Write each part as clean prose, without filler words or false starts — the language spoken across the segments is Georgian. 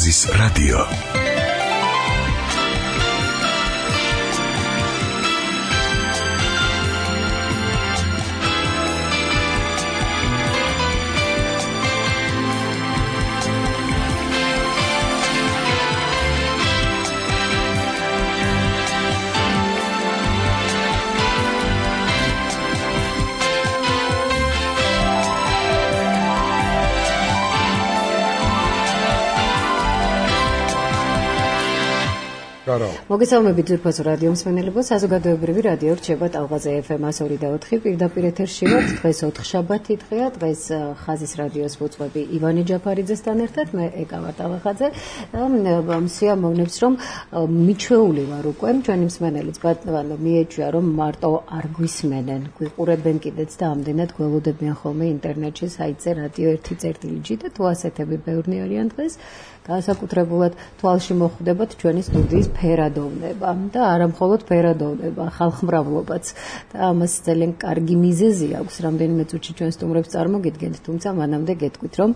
ხაზის რადიო. მოგესალმებით ძვირფასო რადიო მსმენელებო, საზოგადოებრივი რადიო რჩება ტალღაზე FM 102.4 პირდაპირ ეთერში ვართ. დღეს 4-შაბათი დღეა, დღეს ხაზის რადიოს მოწვევი ივანე ჯაფარიძესთან ერთად, მე ეკავა ტალღაზე. სიამოვნებს რომ მიჩვეული ვარ უკვე, ჩვენი მსმენელიც ბატონო მიეჩვია რომ მარტო არ გვისმენენ, გვიყურებენ კიდეც და ამდენად გველოდებიან ხოლმე ინტერნეტში საიტზე რადიო 1.წერტილიჯი და თუ ასეთები ბევრნი არიან დღეს. განსაკუთრებულად თვალში მოხვდებათ ჩვენი სტუდიის ფერადოვნება და არა მხოლოდ ფერადოვნება, ხალხმრავლობაც და ამას ძალიან კარგი მიზეზი აქვს. რამდენიმე წუთში ჩვენ სტუმრებს წარმოგიდგენთ, თუმცა მანამდე გეტყვით, რომ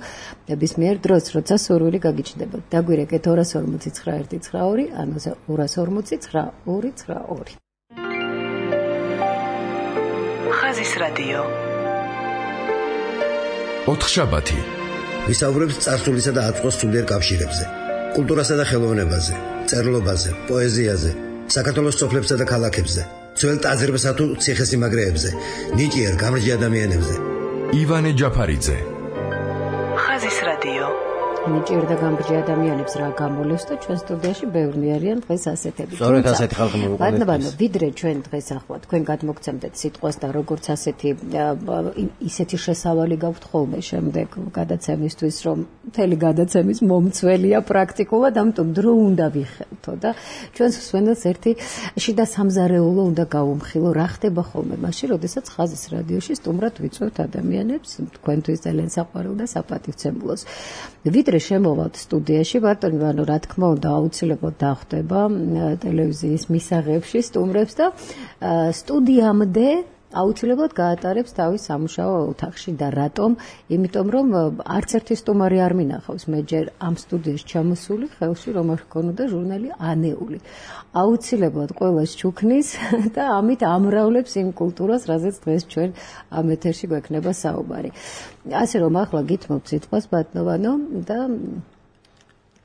ნებისმიერ დროს, როცა სურვილი გაგიჩნდებათ, დაგვირეკეთ 249-192 ანუ 249-292. ხაზის რადიო. 4-შაბათი. ვისაუბრებთ წარსულისა და აწმყოს სულიერ კავშირებზე, კულტურასა და ხელოვნებაზე, წერლობაზე, პოეზიაზე, საქართველოს სოფლებსა და ქალაქებზე, ძველ ტაძრებსა თუ ციხესიმაგრეებზე, ნიჭიერ გამრჯი ადამიანებზე. ივანე ჯაფარიძე. ხაზის რადიო. ნიჭიერ და გამრჯი ადამიანებს რა გამოლევს და ჩვენ სტუდიაში ბევრნი არიან დღეს ასეთები. სწორედ ასეთი ხალხი მოვიყვანეთ. ბატონო, ვიდრე ჩვენ დღეს ახლა თქვენ გადმოგცემდეთ სიტყვას და როგორც ასეთი ისეთი შესავალი გაქვთ ხოლმე შემდეგ გადაცემისთვის, რომ მთელი გადაცემის მომცველია პრაქტიკულად, ამიტომ დრო უნდა ვიხელთო და ჩვენს მსმენელს ერთი შიდა სამზარეულო უნდა გავუმხილო, რა ხდება ხოლმე მაშინ, როდესაც ხაზის რადიოში სტუმრად ვიწვევთ ადამიანებს, თქვენთვის ძალიან საყვარელ და საპატივცემულოს. ვიდრე შემოვალთ სტუდიაში, ბატონო, ანუ რა თქმა უნდა, აუცილებლად დახვდება ტელევიზიის მისაღებში სტუმრებს და სტუდიამდე აუცილებლად გაატარებს თავის სამუშაო ოთახში და რატომ? იმიტომ რომ არც ერთი სტუმარი არ მინახავს მე ჯერ ამ სტუდიაში ჩამოსული ხელში რომ არ ჰქონოდა ჟურნალი ანეული. აუცილებლად ყველას ჩუქნის და ამით ამრავლებს იმ კულტურას, რაზეც დღეს ჩვენ ამ ეთერში გვექნება საუბარი. ასე რომ ახლა გითმობ სიტყვას ბატონო და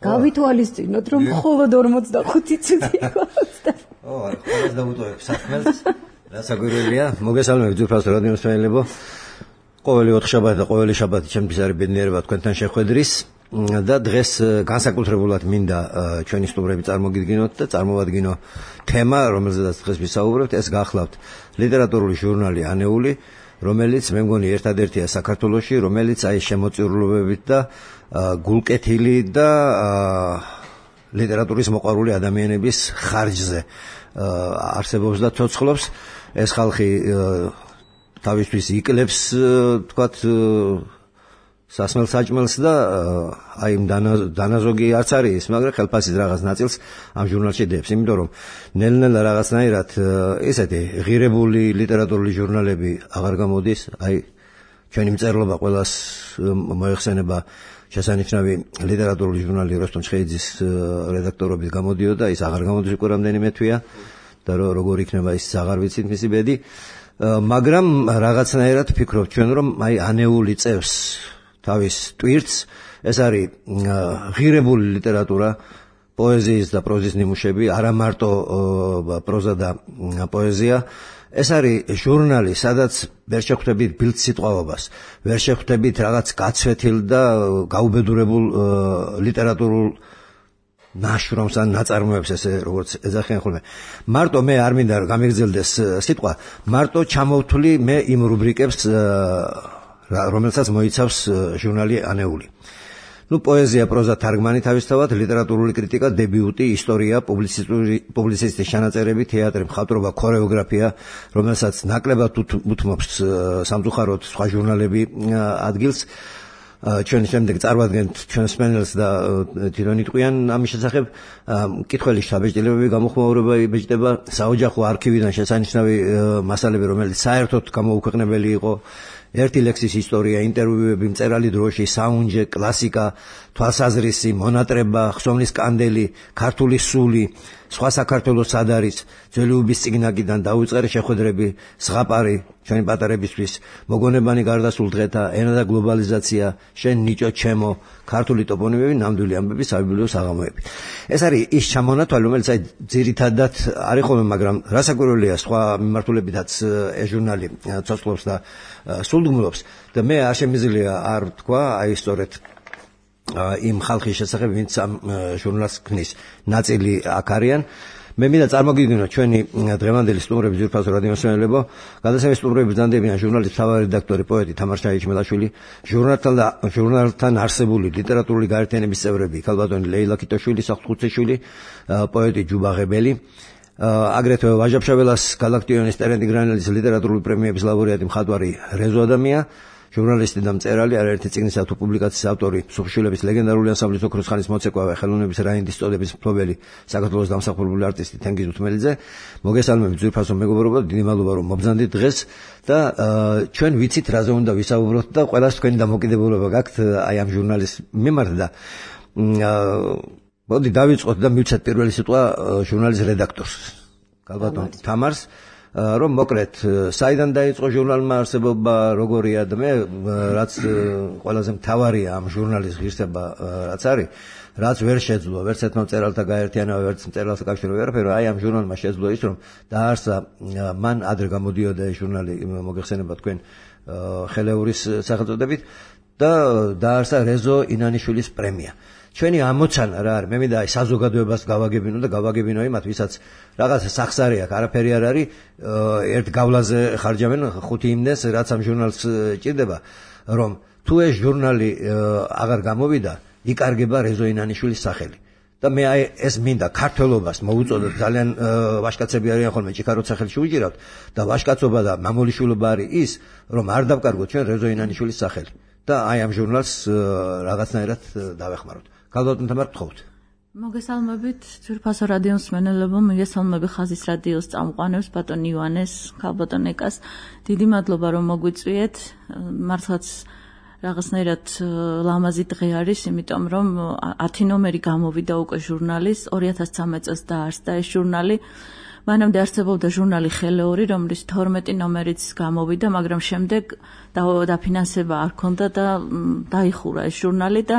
გავითვალისწინოთ რომ მხოლოდ 45 წუთი გვაქვს და ყველას დავუტოვებ საქმეს. რასაკვირველია, მოგესალმებით ძვირფასო რადიო მსმენელებო. ყოველი 4 შაბათი და ყოველი შაბათი ჩემთვის არის ბედნიერება თქვენთან შეხვედრის და დღეს განსაკუთრებულად მინდა ჩვენი სტუმრები წარმოგიდგინოთ და წარმოვადგინო თემა, რომელზედაც დღეს ვისაუბრებთ, ეს გახლავთ ლიტერატურული ჟურნალი ანეული, რომელიც მე მგონი ერთადერთია საქართველოში, რომელიც აი შემოწირულობებით და გულკეთილი და ლიტერატურის მოყვარული ადამიანების ხარჯზე არსებობს და ცოცხლობს. ეს ხალხი თავისთვის იკლებს, თქვათ, სასმელ საჭმელს და აი დანაზოგი არც არის, მაგრამ ხელფასის რაღაც ნაწილს ამ ჟურნალში დებს, იმიტომ რომ ნელ-ნელა რაღაცნაირად ესეთი ღირებული ლიტერატურული ჟურნალები აღარ გამოდის, აი ჩვენი მწერლობა ყველას მოეხსენება შესანიშნავი ლიტერატურული ჟურნალი როსტომ ჩხეიძის რედაქტორობით გამოდიოდა, ის აღარ გამოდის უკვე რამდენიმე თვეა და როგორ იქნება ის აღარ ვიცით მისი ბედი, მაგრამ რაღაცნაირად ვფიქრობ ჩვენ რომ აი ანეული წევს თავის ტვირთს, ეს არის ღირებული ლიტერატურა, პოეზიის და პროზის ნიმუშები, არა მარტო პროზა და პოეზია. ეს არის ჟურნალი, სადაც ვერ შეხვდებით ბილდ სიტყვაობას, ვერ შეხვდებით რაღაც გაცვეთილ და გაუბედურებულ ლიტერატურულ ნაშრომს ან ნაწარმოებს, ესე როგორც ეძახიან ხოლმე. მარტო მე არ მინდა გამიგრძელდეს სიტყვა, მარტო ჩამოვთვლი მე იმ რუბრიკებს, რომელსაც მოიცავს ჟურნალი ანეული. პოეზია, პროზა, თარგმანი თავისთავად, ლიტერატურული კრიტიკა, დებიუტი, ისტორია, პუბლიცისტის ჩანაწერები, თეატრი, მხატვრობა, ქორეოგრაფია, რომელსაც ნაკლებად უთმობს სამწუხაროდ სხვა ჟურნალები ადგილს. ჩვენ შემდეგ წარვადგენთ ჩვენს მსმენელს და თვითონ იტყვიან ამის შესახებ. მკითხველი შთაბეჭდილებები გამოხმაურება, საოჯახო არქივიდან შესანიშნავი მასალები, რომელიც საერთოდ გამოუქვეყნებელი იყო. ერთი ლექსის ისტორია, ინტერვიუები, მწერალი დროში, საუნჯე, კლასიკა, თვალსაზრისი, მონატრება, ხსოვნის კანდელი, ქართული სული, სხვა საქართველოს სად არის, ძველი უბის წიგნაკიდან დაუწყარი შეხვედრები, ზღაპარი, ჩვენი პატარებისთვის, მოგონებანი გარდასულ დღეთა, ენა და გლობალიზაცია, შენ ნიჭო ჩემო, ქართული ტოპონიმები, ნამდვილი ამბები, საბიბლიო საღამოები. ეს არის ის ჩამონათვალი, რომელიც ძირითადად არის ხოლმე, მაგრამ რასაკვირველია, სხვა მიმართულებითაც ეს ჟურნალი ცოცხლობს და სულდგმულობს და მე არ შემიძლია არ ვთქვა, აი სწორედ იმ ხალხის შესახებ, ვინც ამ ჟურნალს ქმნის, ნაწილი აქ არიან. მე მინდა წარმოგიდგინოთ ჩვენი დღევანდელი სტუმრების ძვირფასო რადიომსმენელებო, გადაცემის სტუმრები ბრძანდებიან ჟურნალის მთავარი რედაქტორი, პოეტი თამარ ჩაიჩმელაშვილი, ჟურნალთან არსებული ლიტერატურული გაერთიანების წევრები, ქალბატონი ლეილა კიტოშვილი, საფრთხუცეშვილი, პოეტი ჯუბა ღებელი, აგრეთვე ვაჟა-ფშაველას გალაქტიონის ტერენდი გრანელის ლიტერატურული პრემიების ლაურეატი მხატვარი რეზო ადამია, ჟურნალისტი და მწერალი, არაერთი წიგნისა თუ პუბლიკაციის ავტორი, სუხიშვილების ლეგენდარული ანსამბლის ოქროს ხანის მოცეკვავე, ხელოვნების რაინდის წოდების მფლობელი, საქართველოს დამსახურებული არტისტი თენგიზ უთმელიძე. მოგესალმებით ძვირფასო მეგობრებო, დიდი მადლობა რომ მობრძანდით დღეს და ჩვენ ვიცით რაზე უნდა ვისაუბროთ და ყველას თქვენი დამოკიდებულება გაქვთ აი ამ ჟურნალის მიმართ და მოდი დავიწყოთ და მივცეთ პირველი სიტყვა ჟურნალის რედაქტორს, ქალბატონ თამარს, რომ მოკლედ საიდან დაიწყო ჟურნალმა არსებობა, როგორია და მე რაც ყველაზე მთავარია ამ ჟურნალის ღირსება რაც არის, რაც ვერ შეძლო ვერც ერთმა მწერალთა გაერთიანება, ვერც მწერალთა კავშირი ვერაფერი, აი ამ ჟურნალმა შეძლო ის, რომ დაარსა მან ადრე გამოდიოდა ეს ჟურნალი, მოგეხსენება თქვენ ხელეურის სახელწოდებით და დაარსა რეზო ინანიშვილის პრემია. ჩვენი ამოცანა რა არის? მე მინდა აი საზოგადოებას გავაგებინო და გავაგებინო იმათ, ვისაც რაღაცა სახსარი აქვს, არაფერი არ არის, ერთ გავლაზე ხარჯავენ 5 იმდენს, რაც ამ ჟურნალს ჭირდება, რომ თუ ეს ჟურნალი აღარ გამოვიდა, იკარგება რეზო ინანიშვილის სახელი. და მე აი ეს მინდა ქართველობას მოუწოდოთ, ძალიან ვაჟკაცები არიან ხოლმე ჭიქაროთ სახელში უჭირავთ და ვაჟკაცობა და მამულიშვილობა არის ის, რომ არ დავკარგოთ ჩვენ რეზო ინანიშვილის სახელი და აი ამ ჟურნალს რაღაცნაირად დავეხმაროთ. ქალბატონ თამარ, გთხოვთ. მოგესალმებით ძვირფასო რადიომსმენელებო, მოგესალმები ხაზის რადიოს წამყვანებს, ბატონ ივანეს, ქალბატონ ეკას. დიდი მადლობა რომ მოგვიწვიეთ. მართლაც რაღაცნაირად ლამაზი დღე არის, იმიტომ რომ 10 ნომერი გამოვიდა უკვე ჟურნალის, 2013 წელს დაარსდა ეს ჟურნალი. მანამდე არსებობდა ჟურნალი ხელეური, რომლის 12 ნომერიც გამოვიდა, მაგრამ შემდეგ დაფინანსება არ ქონდა და დაიხურა ეს ჟურნალი და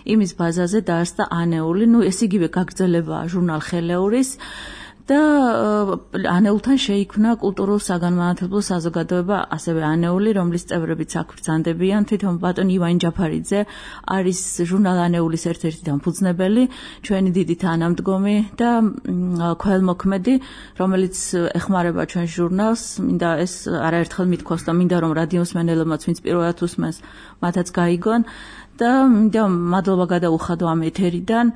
იმის ბაზაზე დაარსდა ანეული. ეს იგივე გაგრძელებაა ჟურნალ ხელეურის და ანეულთან შეიქმნა კულტურულ საგანმანათლებლო საზოგადოება, ასევე ანეული, რომლის წევრებიც აქ ბრძანდებიან. თვითონ ბატონ ივანი ჯაფარიძე არის ჟურნალ ანეულის ერთ-ერთი დამფუძნებელი, ჩვენი დიდი თანამდგომი და ქველმოქმედი, რომელიც ეხმარება ჩვენ ჟურნალს. მინდა ეს არაერთხელ მithქვას და მინდა რომ რადიომსმენელებმაც, ვინც პირველად უსმენს, მათაც გაიგონ. და მინდა მადლობა გადაუხადო ამ ეთერიდან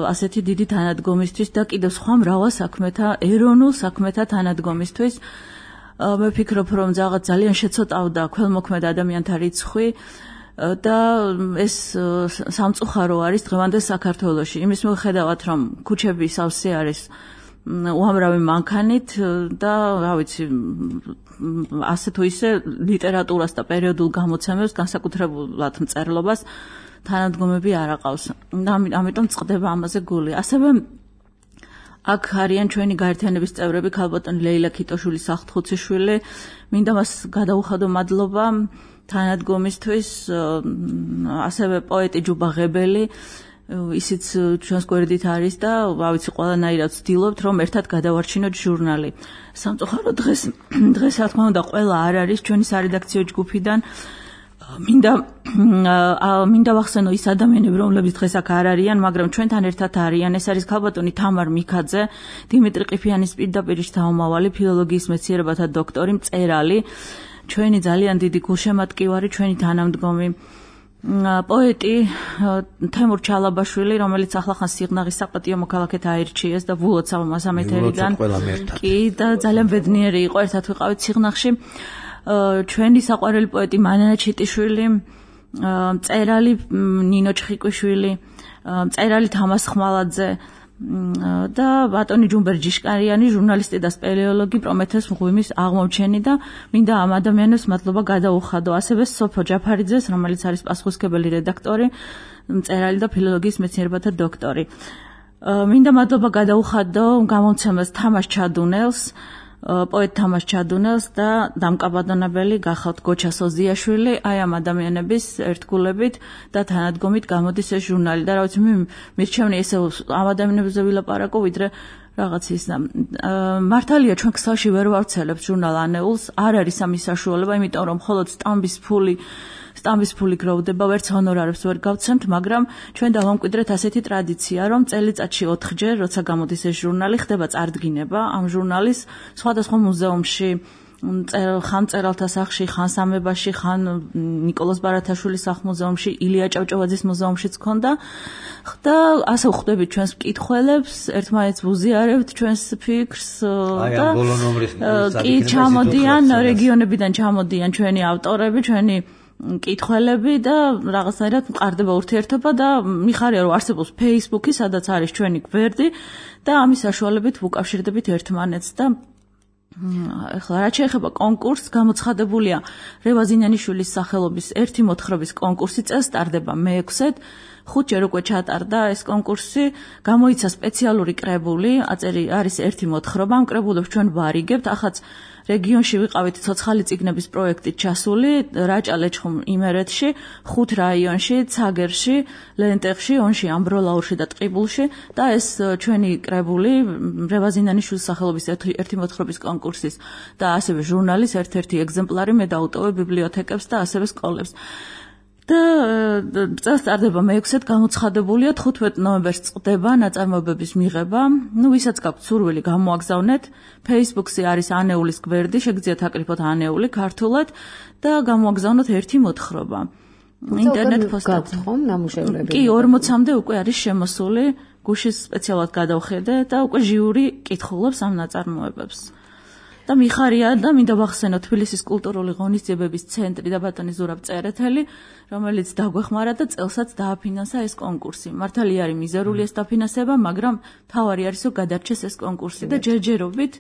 ასეთი დიდი თანადგომისთვის და კიდევ სხვა მრავალ საქმეთა, ეროვნულ საქმეთა თანადგომისთვის. მე ვფიქრობ, რომ ძალიან შეცოტავდა ქველმოქმედ ადამიანთა რიცხვი და ეს სამწუხარო არის დღევანდელ საქართველოში. იმის მიუხედავად, რომ ქუჩები სავსე არის უამრავი მანქანით და რა ვიცი, ასე თუ ისე ლიტერატურას და პერიოდულ გამოცემებს, განსაკუთრებულად მწერლობას თანადგომები არ აყავს. ამიტომ წყდება ამაზე გული. ასევე აქ არიან ჩვენი გაერთიანების წევრები, ქალბატონი ლეილა კიტოშვილი, საფრთხუცეშვილი. მინდა მას გადაუხადო მადლობა თანადგომისთვის, ასევე პოეტი ჯუბა ღებელი. ისიც ჩვენს გვერდით არის და რა ვიცი, ყველანაირად ვცდილობთ რომ ერთად გადავარჩინოთ ჟურნალი. სამწუხაროდ დღეს რა თქმა უნდა ყველა არ არის ჩვენი სარედაქციო ჯგუფიდან. მინდა ვახსენო ის ადამიანები, რომლებიც დღეს აქ არ არიან, მაგრამ ჩვენთან ერთად არიან. ეს არის ქალბატონი თამარ მიქაძე, დიმიტრი ყიფიანის პირდაპირ შთამომავალი, ფილოლოგიის მეცნიერებათა დოქტორი, მწერალი, ჩვენი ძალიან დიდი გულშემატკივარი, ჩვენი თანამდგომი, პოეტი თემურ ჩალაბაშვილი, რომელიც ახლახან სიღნაღის საპატიო მოქალაქედ აირჩიეს და ვულოცავ მას ამ ეთერიდან. კი, და ძალიან ბედნიერი იყო ერთად ვიყავით სიღნაღში. ჩვენი საყვარელი პოეტი მანანა ჩიტიშვილი, მწერალი ნინო ჩხიკვიშვილი, მწერალი თამას ხმალაძე, და ბატონი ჯუმბერ-ჯიშკარიანი, ჟურნალისტი და სპელეოლოგი პრომეთეს მღვიმის აღმოჩენი და მინდა ამ ადამიანებს მადლობა გადაუხადო. ასევე სოფო ჯაფარიძეს, რომელიც არის პასუხისმგებელი რედაქტორი, მწერალი და ფილოლოგიის მეცნიერებათა დოქტორი. მინდა მადლობა გადაუხადო გამომცემელს თამაშ ჩადუნელს, პოეტ თამაშ ჩადუნელს და დამკაბადონებელი გახავთ გოჩა სოზიაშვილი, აი ამ ადამიანების ერთგულებით და თანადგომით გამოდის ეს ჟურნალი და რა ვიცი მირჩევნი ესე ამ ადამიანებზე ვილაპარაკო ვიდრე რაღაც ის მართალია ჩვენ ქსელში ვერ ვავრცელებთ ჟურნალ ანეულს, არ არის ამის საშუალება, იმიტომ რომ მხოლოდ სტამბის ფული გროვდება, ვერც ჰონორარებს ვერ გავცემთ, მაგრამ ჩვენ დავამკვიდრეთ ასეთი ტრადიცია, რომ წელიწადში 4-ჯერ, როცა გამოდის ეს ჟურნალი, ხდება წარდგინება ამ ჟურნალის სხვადასხვა მუზეუმში, ხან მწერალთა სახლში, ხან სამებაში, ხან ნიკოლოზ ბარათაშვილის სახლ-მუზეუმში, ილია ჭავჭავაძის მუზეუმშიც ქონდა და ასე ვხვდებით ჩვენს მკითხველებს, ერთმანეთს ვუზიარებთ ჩვენს ფიქრს და კი ჩამოდიან რეგიონებიდან ჩამოდიან ჩვენი ავტორები, ჩვენი მკითხველები და რაღაცნაირად მყარდება ურთიერთობა და მიხარია რომ არსებობს Facebook-ი, სადაც არის ჩვენი გვერდი და ამის საშუალებით ვუკავშირდებით ერთმანეთს და ახლა რაც შეეხება კონკურსს, გამოცხადებულია რევაზინიანიშვილის სახელობის ერთი მოთხრობის კონკურსი, წელს ტარდება მე-6-ად. 5 ჯერ უკვე ჩატარდა ეს კონკურსი, გამოიცა სპეციალური კრებული, არის ერთი მოთხრობა, ამ კრებულებს ჩვენ ვარიგებთ, ახაც რეგიონში ვიყავით ცოცხალი წიგნების პროექტით ჩასული, რაჭა-ლეჩხუმ იმერეთში, 5 რაიონში, ცაგერში, ლენტეხში, ონში, ამბროლაურში და ტყიბულში და ეს ჩვენი კრებული რევაზინიანიშვილის სახელობის ერთი მოთხრობის კონკურსის და ასევე ჟურნალის ერთ-ერთი ეგზემპლარი მე დავუტოვე ბიბლიოთეკებს და ასევე სკოლებს. და წელს ტარდება მე-6-ად, გამოცხადებულია 15 ნოემბერს წყდება ნაწარმოებების მიღება. ვისაც გაქვთ სურვილი, გამოაგზავნეთ. Facebook-ზე არის ანეულის გვერდი, შეგიძლიათ აკრიფოთ ანეული ქართულად და გამოაგზავნოთ ერთი მოთხრობა. ინტერნეტ პოსტად ხომ ნამუშევრები? კი, 40-მდე უკვე არის შემოსული, გუშინ სპეციალურად გადავხედე და უკვე ჟიური კითხულობს ამ ნაწარმოებებს. და მიხარია და მინდა ვახსენო თბილისის კულტურული ღონისძიებების ცენტრი და ბატონი ზურაბ წერეთელი, რომელიც დაგვეხმარა და წელსაც დააფინანსა ეს კონკურსი. მართალია არის მიზერული ეს დაფინანსება, მაგრამ თავარი არის რომ გადარჩეს ეს კონკურსი და ჯერჯერობით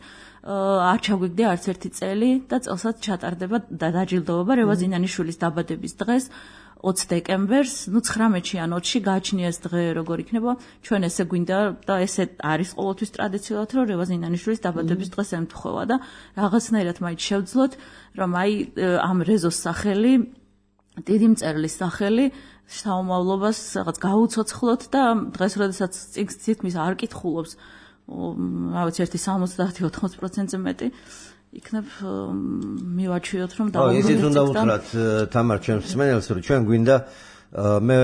არ ჩაგვიგდე არც ერთი წელი და წელსაც ჩატარდება და დაჯილდოება რევაზინიანიშვილის დაბადების დღეს 20 დეკემბერს, 19-ში ან 20-ში გააჩნია ეს დღე როგორ იქნება, ჩვენ ესე გვინდა და ესე არის ყოველთვის ტრადიციულად, რომ რევაზინიანიშვილის დაბადების დღეს ემთხვევა და რაღაცნაირად მაინც შევძლოთ, რომ აი ამ რეზოს სახელი, დიდი მწერლის სახელი საომავლობას რაღაც გაუცოცხლოთ და დღეს როდესაც თითქმის არ კითხულობს, რა ვიცი, ერთი 70-80%-ზე მეტი იქნებ მივაჩვიოთ რომ დავუბრუნდეთ. ისიც უნდა უთხრათ თამარ ჩემს მსმენელს, რომ ჩვენ გვინდა მე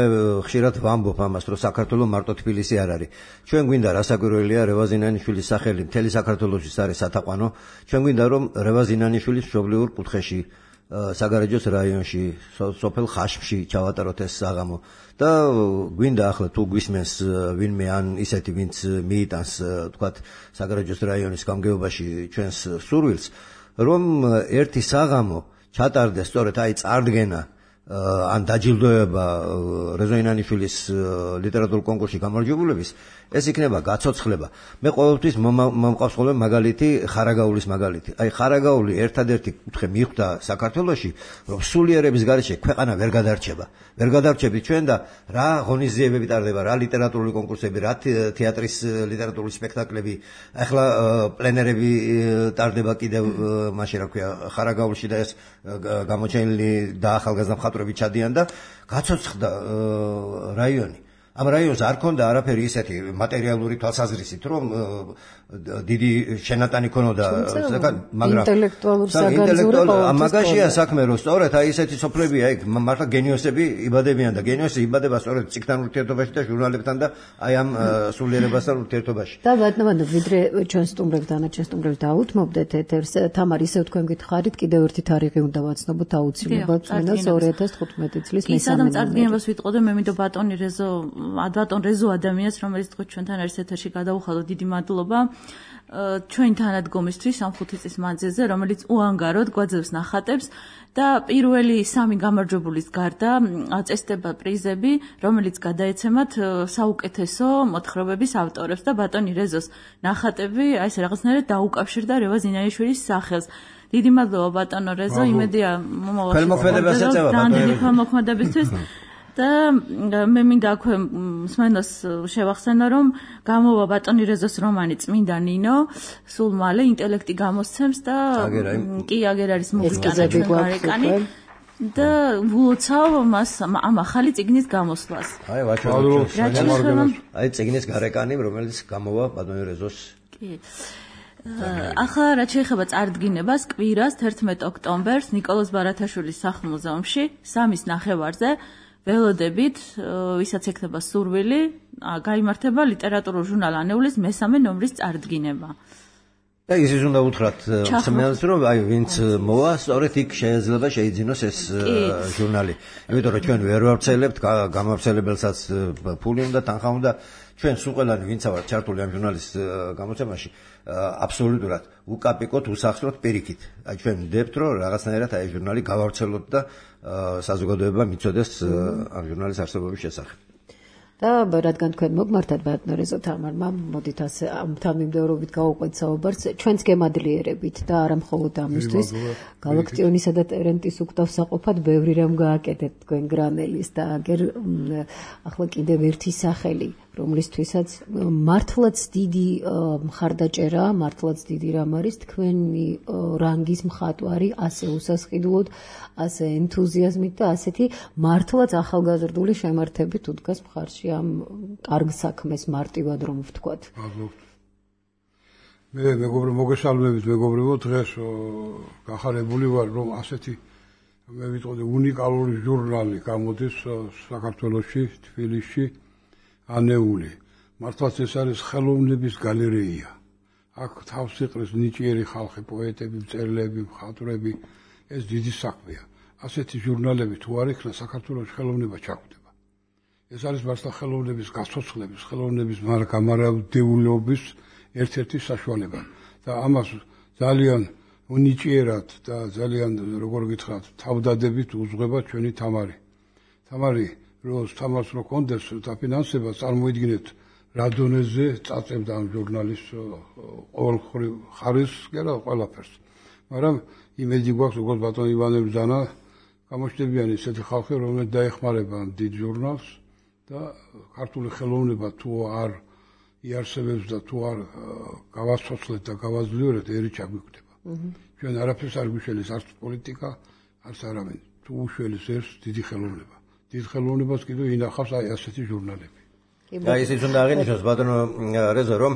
ხშირად ვამბობ ამას, რომ საქართველოს მარტო თბილისი არ არის. ჩვენ გვინდა რასაკვირველია რევაზინიანიშვილის სახელი მთელი საქართველოში არის სათაყვანო. ჩვენ გვინდა რომ რევაზინიანიშვილის მშობლიურ კუთხეში, საგარეჯოს რაიონში, სოფელ ხაშბში ჩავატაროთ ეს საღამო. და გვინდა ახლა თუ გვისმენს ვინმე ან ისეთი ვინც მიიტანს თქვათ საგარეჯოს რაიონის გამგეობაში ჩვენს სურვილს, რომ ერთი საღამო ჩატარდეს სწორედ აი წარდგენა ან დაჯილდოება რევაზინიანიშვილის ლიტერატურულ კონკურსში გამარჯვებულების, ეს იქნება გაცოცხლება. მე ყოველთვის მომყავს ხოლმე მაგალითი, ხარაგაულის მაგალითი. აი ხარაგაული ერთადერთი კუთხე მიხვდა საქართველოში, რომ სულიერების გარეშე ქვეყანა ვერ გადარჩება. ვერ გადარჩებით ჩვენ და რა ღონისძიებები ტარდება, რა ლიტერატურული კონკურსები, რა თეატრის ლიტერატურული სპექტაკლები, ახლა პლენერები ტარდება კიდევ მაშინ რა ქვია ხარაგაულში და ეს გამოჩენილი და ახალგაზრდა მხატვრები ჩადიან და გაცოცხლდა რაიონი. ამ რაიონს არ ქონდა არაფერი ისეთი მატერიალური თვალსაზრისით, რომ დიდი შენატანი ქონოდა, მაგრამ ინტელექტუალურ საგანძურებო მაგაშია საქმე, რომ სწორედ აი ესეთი სოფლებია იქ მართლა გენიოსები იბადებიან და გენიოსი იბადება სწორედ ციგთან ურთიერთობაში და ჟურნალებთან და აი ამ სულიერებასთან ურთიერთობაში. და ბატონო, ვიდრე ჩვენ სტუმრებს დანარჩენ სტუმრებს დაუთმობდეთ ეთერს, თამარ, ისევ თქვენ გითხარით, კიდევ ერთი თარიღი უნდა ვაცნობოთ აუცილებლად, წმინდას 2015 წლის მესამე. ისადამ წარდგინებას ვიტყოდე, მე მინდა ბატონ რეზო ადამიანს, რომელიც თქვით ჩვენთან არის ეთერში, გადაუხადო, დიდი მადლობა. ჩვენ თანადგომისთვის ამ 5 წლის მანძილზე, რომელიც უანგაროდ გვაძლევს ნახატებს და პირველი 3 გამარჯვებულის გარდა აწესდება პრიზები, რომელიც გადაეცემათ საუკეთესო მოთხრობების ავტორებს და ბატონი რეზოს ნახატები, აი ეს რაღაცნაირად დაუკავშირდა რევაზ ინაიშვილის სახელს. დიდი მადლობა ბატონო რეზო, იმედია ხელმოქმედებას ეწევა ბატონი ხელმოქმედებისთვის. და მე მინდა აქვე მსმენელს შევახსენო, რომ გამოვა ბატონი რეზოს რომანი წმინდა ნინო, სულ მალე ინტელექტი გამოსცემს და კი აგერ არის მუსიკანები გარეკანი და ვლოცავ მას ამ ახალი წიგნის გამოსვლას. აი ვაჩვენებ. აი წიგნის გარეკანი, რომელიც გამოვა ბატონი რეზოს. კი. ახლა რაც შეეხება წარდგინებას, კვირას 11 ოქტომბერს ნიკოლოზ ბარათაშვილის სახლ-მუზეუმში 3-ის ნახევარზე ველოდებით, ვისაც ექნება სურვილი, გაიმართება ლიტერატურულ ჟურნალ ანეულის მესამე ნომრის წარდგინება. და ისიც უნდა უთხრათ მსმენელს, რომ აი ვინც მოვა, სწორედ იქ შეიძლება შეიძინოს ეს ჟურნალი. იმიტომ რომ ჩვენ ვერ ვავრცელებთ, გამავრცელებელსაც ფული უნდა, თანხა უნდა. ჩვენ სულ ყველანი ვინც ვართ ჩართული ამ ჟურნალის გამოცემაში, აბსოლუტურად უკაპიკოთ, უსახსროთ პირიქით. აი ჩვენ ვდებთ, რომ რაღაცნაირად აი ჟურნალი გავავრცელოთ და საზოგადოებამ იცოდეს ამ ჟურნალის არსებობის შესახებ. და რადგან თქვენ მოგმართათ ბატონო რეზო თამარმა, მოდით ასე ამ თანმიმდევრობით გავუყვეთ საუბარს, ჩვენც გემადლიერებით და არა მხოლოდ ამისთვის, გალაქტიონისა და ტერენტის უკტავსაყოფად ბევრი რამ გააკეთეთ თქვენ გრანელის და აგერ ახლა კიდევ ერთი სახელი, რომლისთვისაც მართლაც დიდი მხარდაჭერა, მართლაც დიდი რამ არის თქვენი რანგის მხატვარი, ასე უსასყიდლოდ, ასე ენთუზიაზმით და ასეთი მართლაც ახალგაზრდული შემართებით უდგას მხარში ამ კარგ საქმეს მარტივად რომ ვთქვათ. მე მეგობრო მოგესალმებით მეგობრებო, დღეს გახარებული ვარ რომ ასეთი მე ვიტყოდი უნიკალური ჟურნალი გამოდის საქართველოში, თბილისში, ანეული. მართლაც ეს არის ხელოვნების გალერეია. აქ თავს იყრის ნიჭიერი ხალხი, პოეტები, მწერლები, მხატვრები, ეს დიდი საქმეა. ასეთი ჟურნალები თუ არ იქნა, საქართველოში ხელოვნება ჩაგვდება. ეს არის მართლა ხელოვნების გაცოცხლების, ხელოვნების გამარაგებლობის ერთ-ერთი საშუალება. და ამას ძალიან უნიჭიერად და ძალიან როგორ გითხრათ, თავდადებით უძღვება ჩვენი თამარი. თამარი თამარს რო კონდეს დაფინანსება, წარმოიდგინეთ რა დონეზე წაწევდა ამ ჟურნალის ყოველხრივ ხარისხს და ყველაფერს. მაგრამ იმედი გვაქვს, როგორც ბატონ ივანე ბრძანა, გამოჩნდებიან ისეთი ხალხი, რომლებიც დაეხმარება ამ დიდ ჟურნალს და ქართული ხელოვნება თუ არ იარსებებს და თუ არ გავაცოცხლეთ და გავაძლიერეთ, ერი ჩაგვიკვდება. ჩვენ არაფერს არ გვიშველის, არც პოლიტიკა, არც არავინ. თუ უშველის ერს დიდი ხელოვნება. დიდ ხელოვნებას კიდევ ინახავს აი ასეთი ჟურნალები. აი ისიც უნდა აღინიშნოს ბატონო რეზო, რომ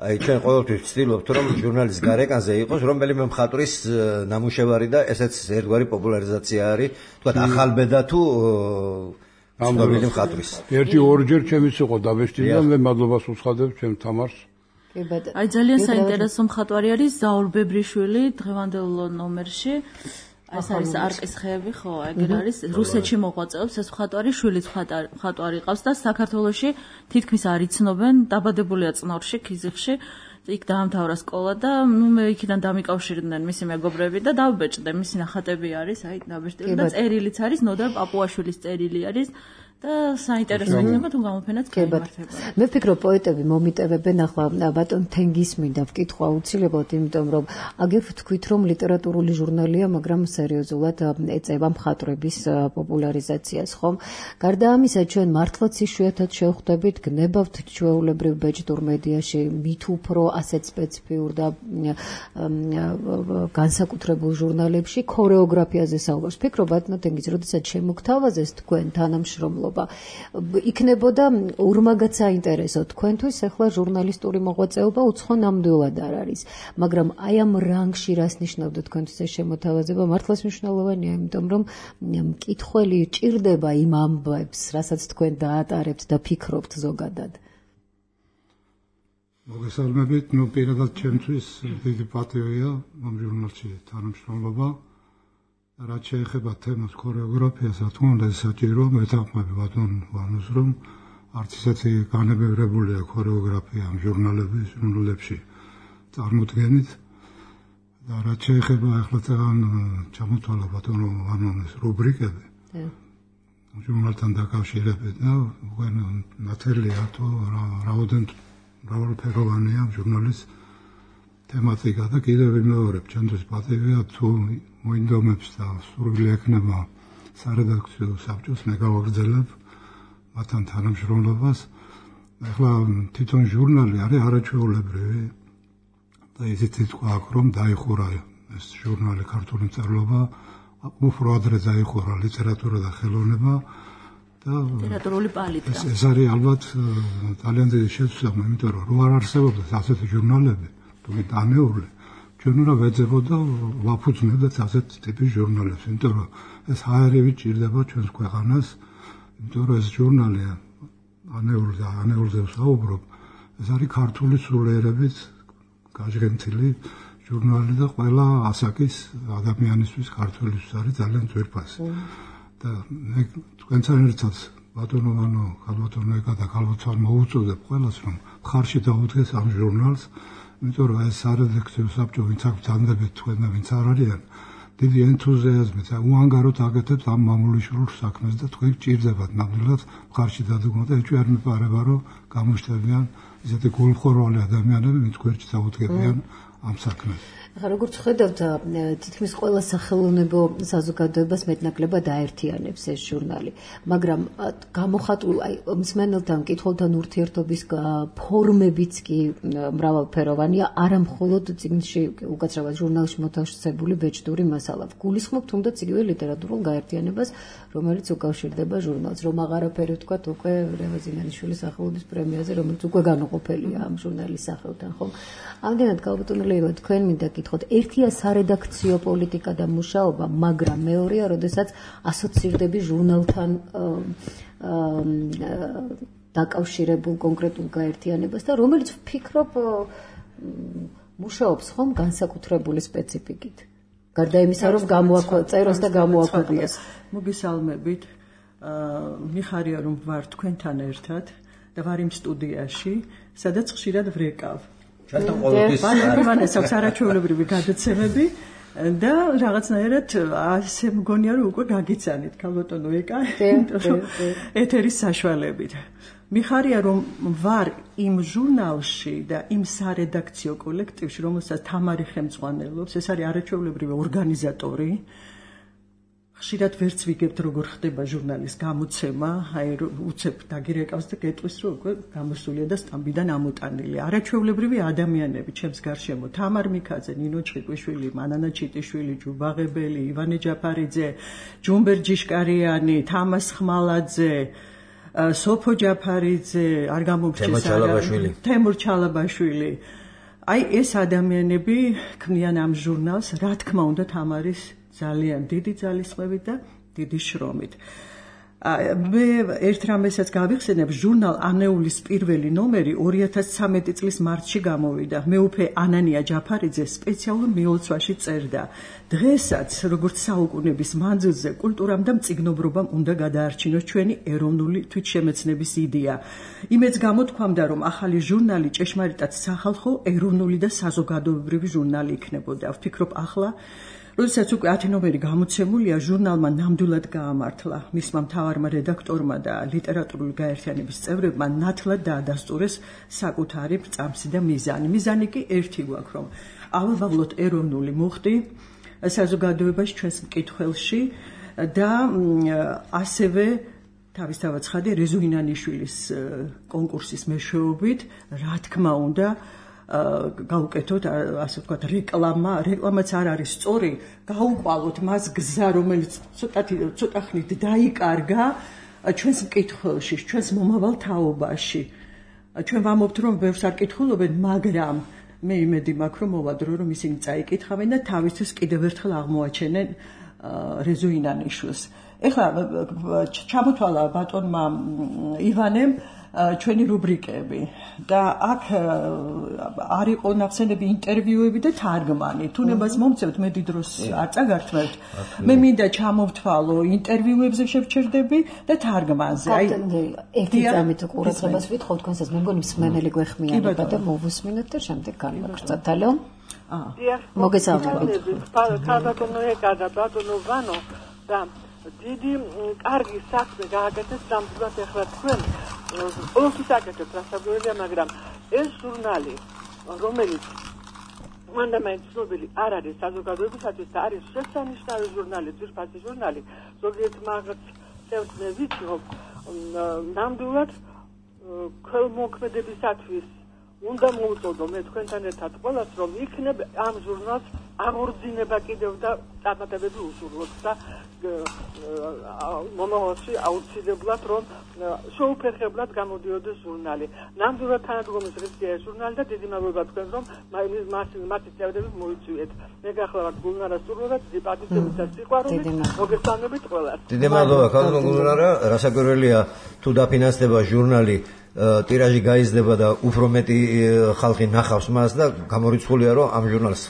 აი ჩვენ ყოველთვის ვცდილობთ, რომ ჟურნალის გარეკანზე იყოს რომელიმე მხატვრის ნამუშევარი და ესეც ერთგვარი პოპულარიზაცია არის, თქვათ ახალბედა თუ ამდობილი მხატვრის. ერთი ორჯერ ჩემიც იყო დაბეჭდი და მე მადლობას უცხადებ ჩემ თამარს. აი ძალიან საინტერესო მხატვარი არის ზაურ ბებრიშვილი დღევანდელ ნომერში. ეს არის არყის ხეები, ხო, ეგერ არის. რუსეთში მოღვაწეობს ეს მხატვარი, შვილიც მხატვარი ყავს და საქართველოში თითქმის არ იცნობენ, დაბადებულია წნორში, ქიზიყში. იქ დაამთავრა სკოლა და მე იქიდან დამიკავშირდნენ მისი მეგობრები და დავბეჭდე, მისი ნახატები არის, აი დაბეჭდილი და წერილიც არის, ნოდარ პაპუაშვილის წერილი არის. და საინტერესო იქნება თუ გამოფენაც გაიმართება. მე ვფიქრობ პოეტები მომიტევებენ ახლა ბატონ თენგის მინდა ვკითხვა აუცილებლად, იმიტომ რომ აგერ ვთქვით რომ ლიტერატურული ჟურნალია, მაგრამ სერიოზულად ეწევა მხატვრების პოპულარიზაციას, ხომ? გარდა ამისა, ჩვენ მართლაც იშვიათად შევხვდებით, გნებავთ ჩვეულებრივ ბეჭდურ მედიაში, მით უფრო ასეთ სპეციფიურ და განსაკუთრებულ ჟურნალებში ქორეოგრაფიაზე საუბარს. ვფიქრობ ბატონ თენგის, როდესაც შემოგთავაზეს თქვენ თანამშრომლობა იქნებოდა ურმაგაც საინტერესო თქვენთვის ახლა ჟურნალისტური მოღვაწეობა უცხო ნამდვილად არ არის, მაგრამ აი ამ რანგში რას ნიშნავდა თქვენთვის ეს შემოთავაზება? მართლაც მნიშვნელოვანია, იმიტომ რომ მკითხველი ჭირდება იმ ამბებს, რასაც თქვენ დაატარებთ და ფიქრობთ ზოგადად. მოგესალმებით, ნუ პირადად ჩემთვის დიდი პატივია ამ ჟურნალში თანამშრომლობა. რაც შეეხება თემას ქორეოგრაფიას, რა თქმა უნდა, საჭირო მეთანხმები ბატონ ვანოს, რომ არც ისეთი განებევრებულია ქორეოგრაფია ამ ჟურნალებში წარმოდგენით და რაც შეეხება ახლა წეგან ჩამოთვალა ბატონო ვანონის რუბრიკები ჟურნალთან დაკავშირებით და უკვე ნათელია თუ მრავალფეროვანია ჟურნალის თემატიკა და კიდევ ვიმეორებ ჩემთვის პატივია თუ მოინდომებს და სურვილი ექნება სარედაქციო საბჭოს მე გავაგრძელებ მათთან თანამშრომლობას ახლა თვითონ ჟურნალი არის არაჩვეულებრივი და ისიც თქვა აქ რომ დაიხურა ეს ჟურნალი ქართული მწერლობა უფრო ადრე დაიხურა ლიტერატურა და ხელოვნება და ლიტერატურული პალიტრა ეს არის ალბათ ძალიან დიდი შესაძლებლობა იმიტომ რომ არ არსებობდა ასეთი ჟურნალები თუმცა დანეული ჩვენ უნდა ვეძებოთ და ვაფუძნებდეთ ასეთ ტიპის ჟურნალებს იმიტომ რომ ეს ჰაერივით ჭირდება ჩვენს ქვეყანას იმიტომ რომ ეს ჟურნალი ანეულზე ვსაუბრობ ეს არის ქართული სულიერებით გაჟღენთილი ჟურნალი და ყველა ასაკის ადამიანისთვის ქართველისთვის არის ძალიან ძვირფასი და მე თქვენთან ერთად ბატონო ვანო ქალბატონო ეკა და ქალბატონ მოუწოდებ ყველას რომ ხარში დაუდგეს ამ ჟურნალს იმიტომ რომ ეს სარედაქციო საბჭო ვინც აქვს დანდებით თქვენ და ვინც არ არიან დიდი ენთუზიაზმით უანგაროდ აკეთებთ ამ მამულიშვილ საქმეს და თქვენ გჭირდებათ ნამდვილად ხარში დადგმოთ და ეჭვი არ მიპარება რომ გამოჩნდებიან ისეთი გულმხორვალი ადამიანები ვინც გვერდში დაუდგებიან ამ საქმეს ახლა როგორც ხედავთ თითქმის ყველა სახელოვნებო საზოგადოებას მეტნაკლებად აერთიანებს ეს ჟურნალი მაგრამ გამოხატულ მსმენელთან მკითხველთან ურთიერთობის ფორმებიც კი მრავალფეროვანია არა მხოლოდ წიგნში უკაცრავად ჟურნალში მოთავსებული ბეჭდური მასალა გულისხმობ თუნდაც იგივე ლიტერატურულ გაერთიანებას რომელიც უკავშირდება ჟურნალს რომ აღარაფერი ვთქვათ უკვე რევაზინანიშვილის სახელობის პრემიაზე რომელიც უკვე განუყოფელია ამ ჟურნალის სახელთან ხო ამდენად ქალბატონო ლეილა თქვენ მინდა გითხოთ ერთია სარედაქციო პოლიტიკა და მუშაობა მაგრამ მეორეა როდესაც ასოცირდები ჟურნალთან დაკავშირებულ კონკრეტულ გაერთიანებას და რომელიც ვფიქრობ მუშაობს ხომ განსაკუთრებული სპეციფიკით გარდა იმისა რომ წეროს და გამოაქვეყნოს მოგესალმებით მიხარია რომ ვარ თქვენთან ერთად და ვარ იმ სტუდიაში სადაც ხშირად ვრეკავ ჩვენთან ყოველთვის მანეს აქვს არაჩვეულებრივი გადაცემები და რაღაცნაირად ასე მგონია რომ უკვე გაგიცანით ქალბატონო ეკა ეთერის საშუალებით მიხარია რომ ვარ იმ ჟურნალში და იმ სარედაქციო კოლექტივში რომელსაც თამარი ხელმძღვანელობს ეს არის არაჩვეულებრივი ორგანიზატორი ხშირად ვერც ვიგებთ როგორ ხდება ჟურნალის გამოცემა აი უცებ დაგირეკავს და გეტყვის რომ უკვე გამოსულია და სტამბიდან ამოტანილი არაჩვეულებრივი ადამიანები ჩემს გარშემო თამარ მიქაძე ნინო ჩხიკვიშვილი მანანა ჩიტიშვილი ჯუბაღებელი ივანე ჯაფარიძე ჯუმბერ ჯიშკარიანი თამას ხმალაძე სოფო ჯაფარიძე არ გამომრჩეს თემურ ჩალაბაშვილი აი ეს ადამიანები ქმნიან ამ ჟურნალს რა თქმა უნდა თამარის ძალიან დიდი ძალისხმევით და დიდი შრომით. მე ერთ რამესაც გავიხსენებ, ჟურნალ ანეულის პირველი ნომერი 2013 წლის მარტში გამოვიდა. მეუფე ანანია ჯაფარიძე სპეციალურ მიოლცვაში წერდა. დღესაც, როგორც საუკუნეების მანძილზე, კულტურამ და მწიგნობრობამ უნდა გადაარჩინოს ჩვენი ეროვნული თვითშემეცნების იდეა. იმეც გამოთქვამდა, რომ ახალი ჟურნალი ჭეშმარიტად სახალხო, ეროვნული და საზოგადოებრივი ჟურნალი იქნებოდა. ვფიქრობ ახლა როდესაც უკვე 10 ნომერი გამოცემულია, ჟურნალმა ნამდვილად გაამართლა. მისმა მთავარმა რედაქტორმა და ლიტერატურული გაერთიანების წევრებმა ნათლად დაადასტურეს საკუთარი წამსი და მიზანი. მიზანი კი ერთი გვაქვს, რომ ავავალოთ ეროვნული მუხტი საზოგადოებაში ჩვენს მკითხველში და ასევე თავისთავად ცხადე რეზუინანიშვილის კონკურსის მეშვეობით, რა თქმა უნდა, გაუკეთოთ ასე ვთქვათ რეკლამაც არ არის სწორი გაუყვალოთ მას გზა რომელიც ცოტა ხნით დაიკარგა ჩვენს მკითხველში ჩვენს მომავალ თაობაში ჩვენ ვამობთ რომ ბევრს არ კითხულობენ მაგრამ მე იმედი მაქვს რომ მოვადრო რომ ისინი წაიკითხავენ და თავისთვის კიდევ ერთხელ აღმოაჩენენ რეზუინანიშვილს ეხლა ჩამოთვალა ბატონმა ივანემ ჩვენი რუბრიკები და აქ არ იყო ნახსენები ინტერვიუები და თარგმანი. თუნებას მომწევთ მე დიდ დროს არ წაგართმევთ. მე მინდა ჩამოვთვალო ინტერვიუებზე შევჩერდები და თარგმანზე. აი ერთი წამით ყურადღებას ვითხოვ თქვენსაც მე მგონი მსმენელი გვეხმიანება და მოვუსმინოთ და შემდეგ განვაგრძელოთ. ალო? მოგესალმებით. ქალბატონო ეკა და ბატონო ვანო და დიდი კარგი საქმე გააკეთეს სამწუხაროდ ახლა თქვენ ყოველთვის აკეთებთ რასაკვირველია, მაგრამ ეს ჟურნალი რომელიც მანდამაინც ცნობილი არ არის საზოგადოებისათვის და არის შესანიშნავი ჟურნალი, ძირფასი ჟურნალი, ზოგიერთ მაგაც წევს მე ვიცი, რომ ნამდვილად ქველმოქმედებისათვის უნდა მოვუწოდო მე თქვენთან ერთად ყველას, რომ იქნებ ამ ჟურნალს აღორძინება კიდევ და წარმატებები უსურვოთ და მომავალში აუცილებლად რომ შეუფერხებლად გამოდიოდეს ჟურნალი. ნამდვილად თანადგომის ღირსია ეს ჟურნალი და დიდი მადლობა თქვენ რომ მათი წევრები მოიწვიეთ. მე გახლავართ გულნარა სურვება, დიდი პატივისცემით და სიყვარულით მოგესალმებით ყველას. დიდი მადლობა ქალბატონო გულნარა, რასაკვირველია თუ დაფინანსდება ჟურნალი ტირაჟი გაიზრდება და უფრო მეტი ხალხი ნახავს მას და გამორიცხულია რომ ამ ჟურნალს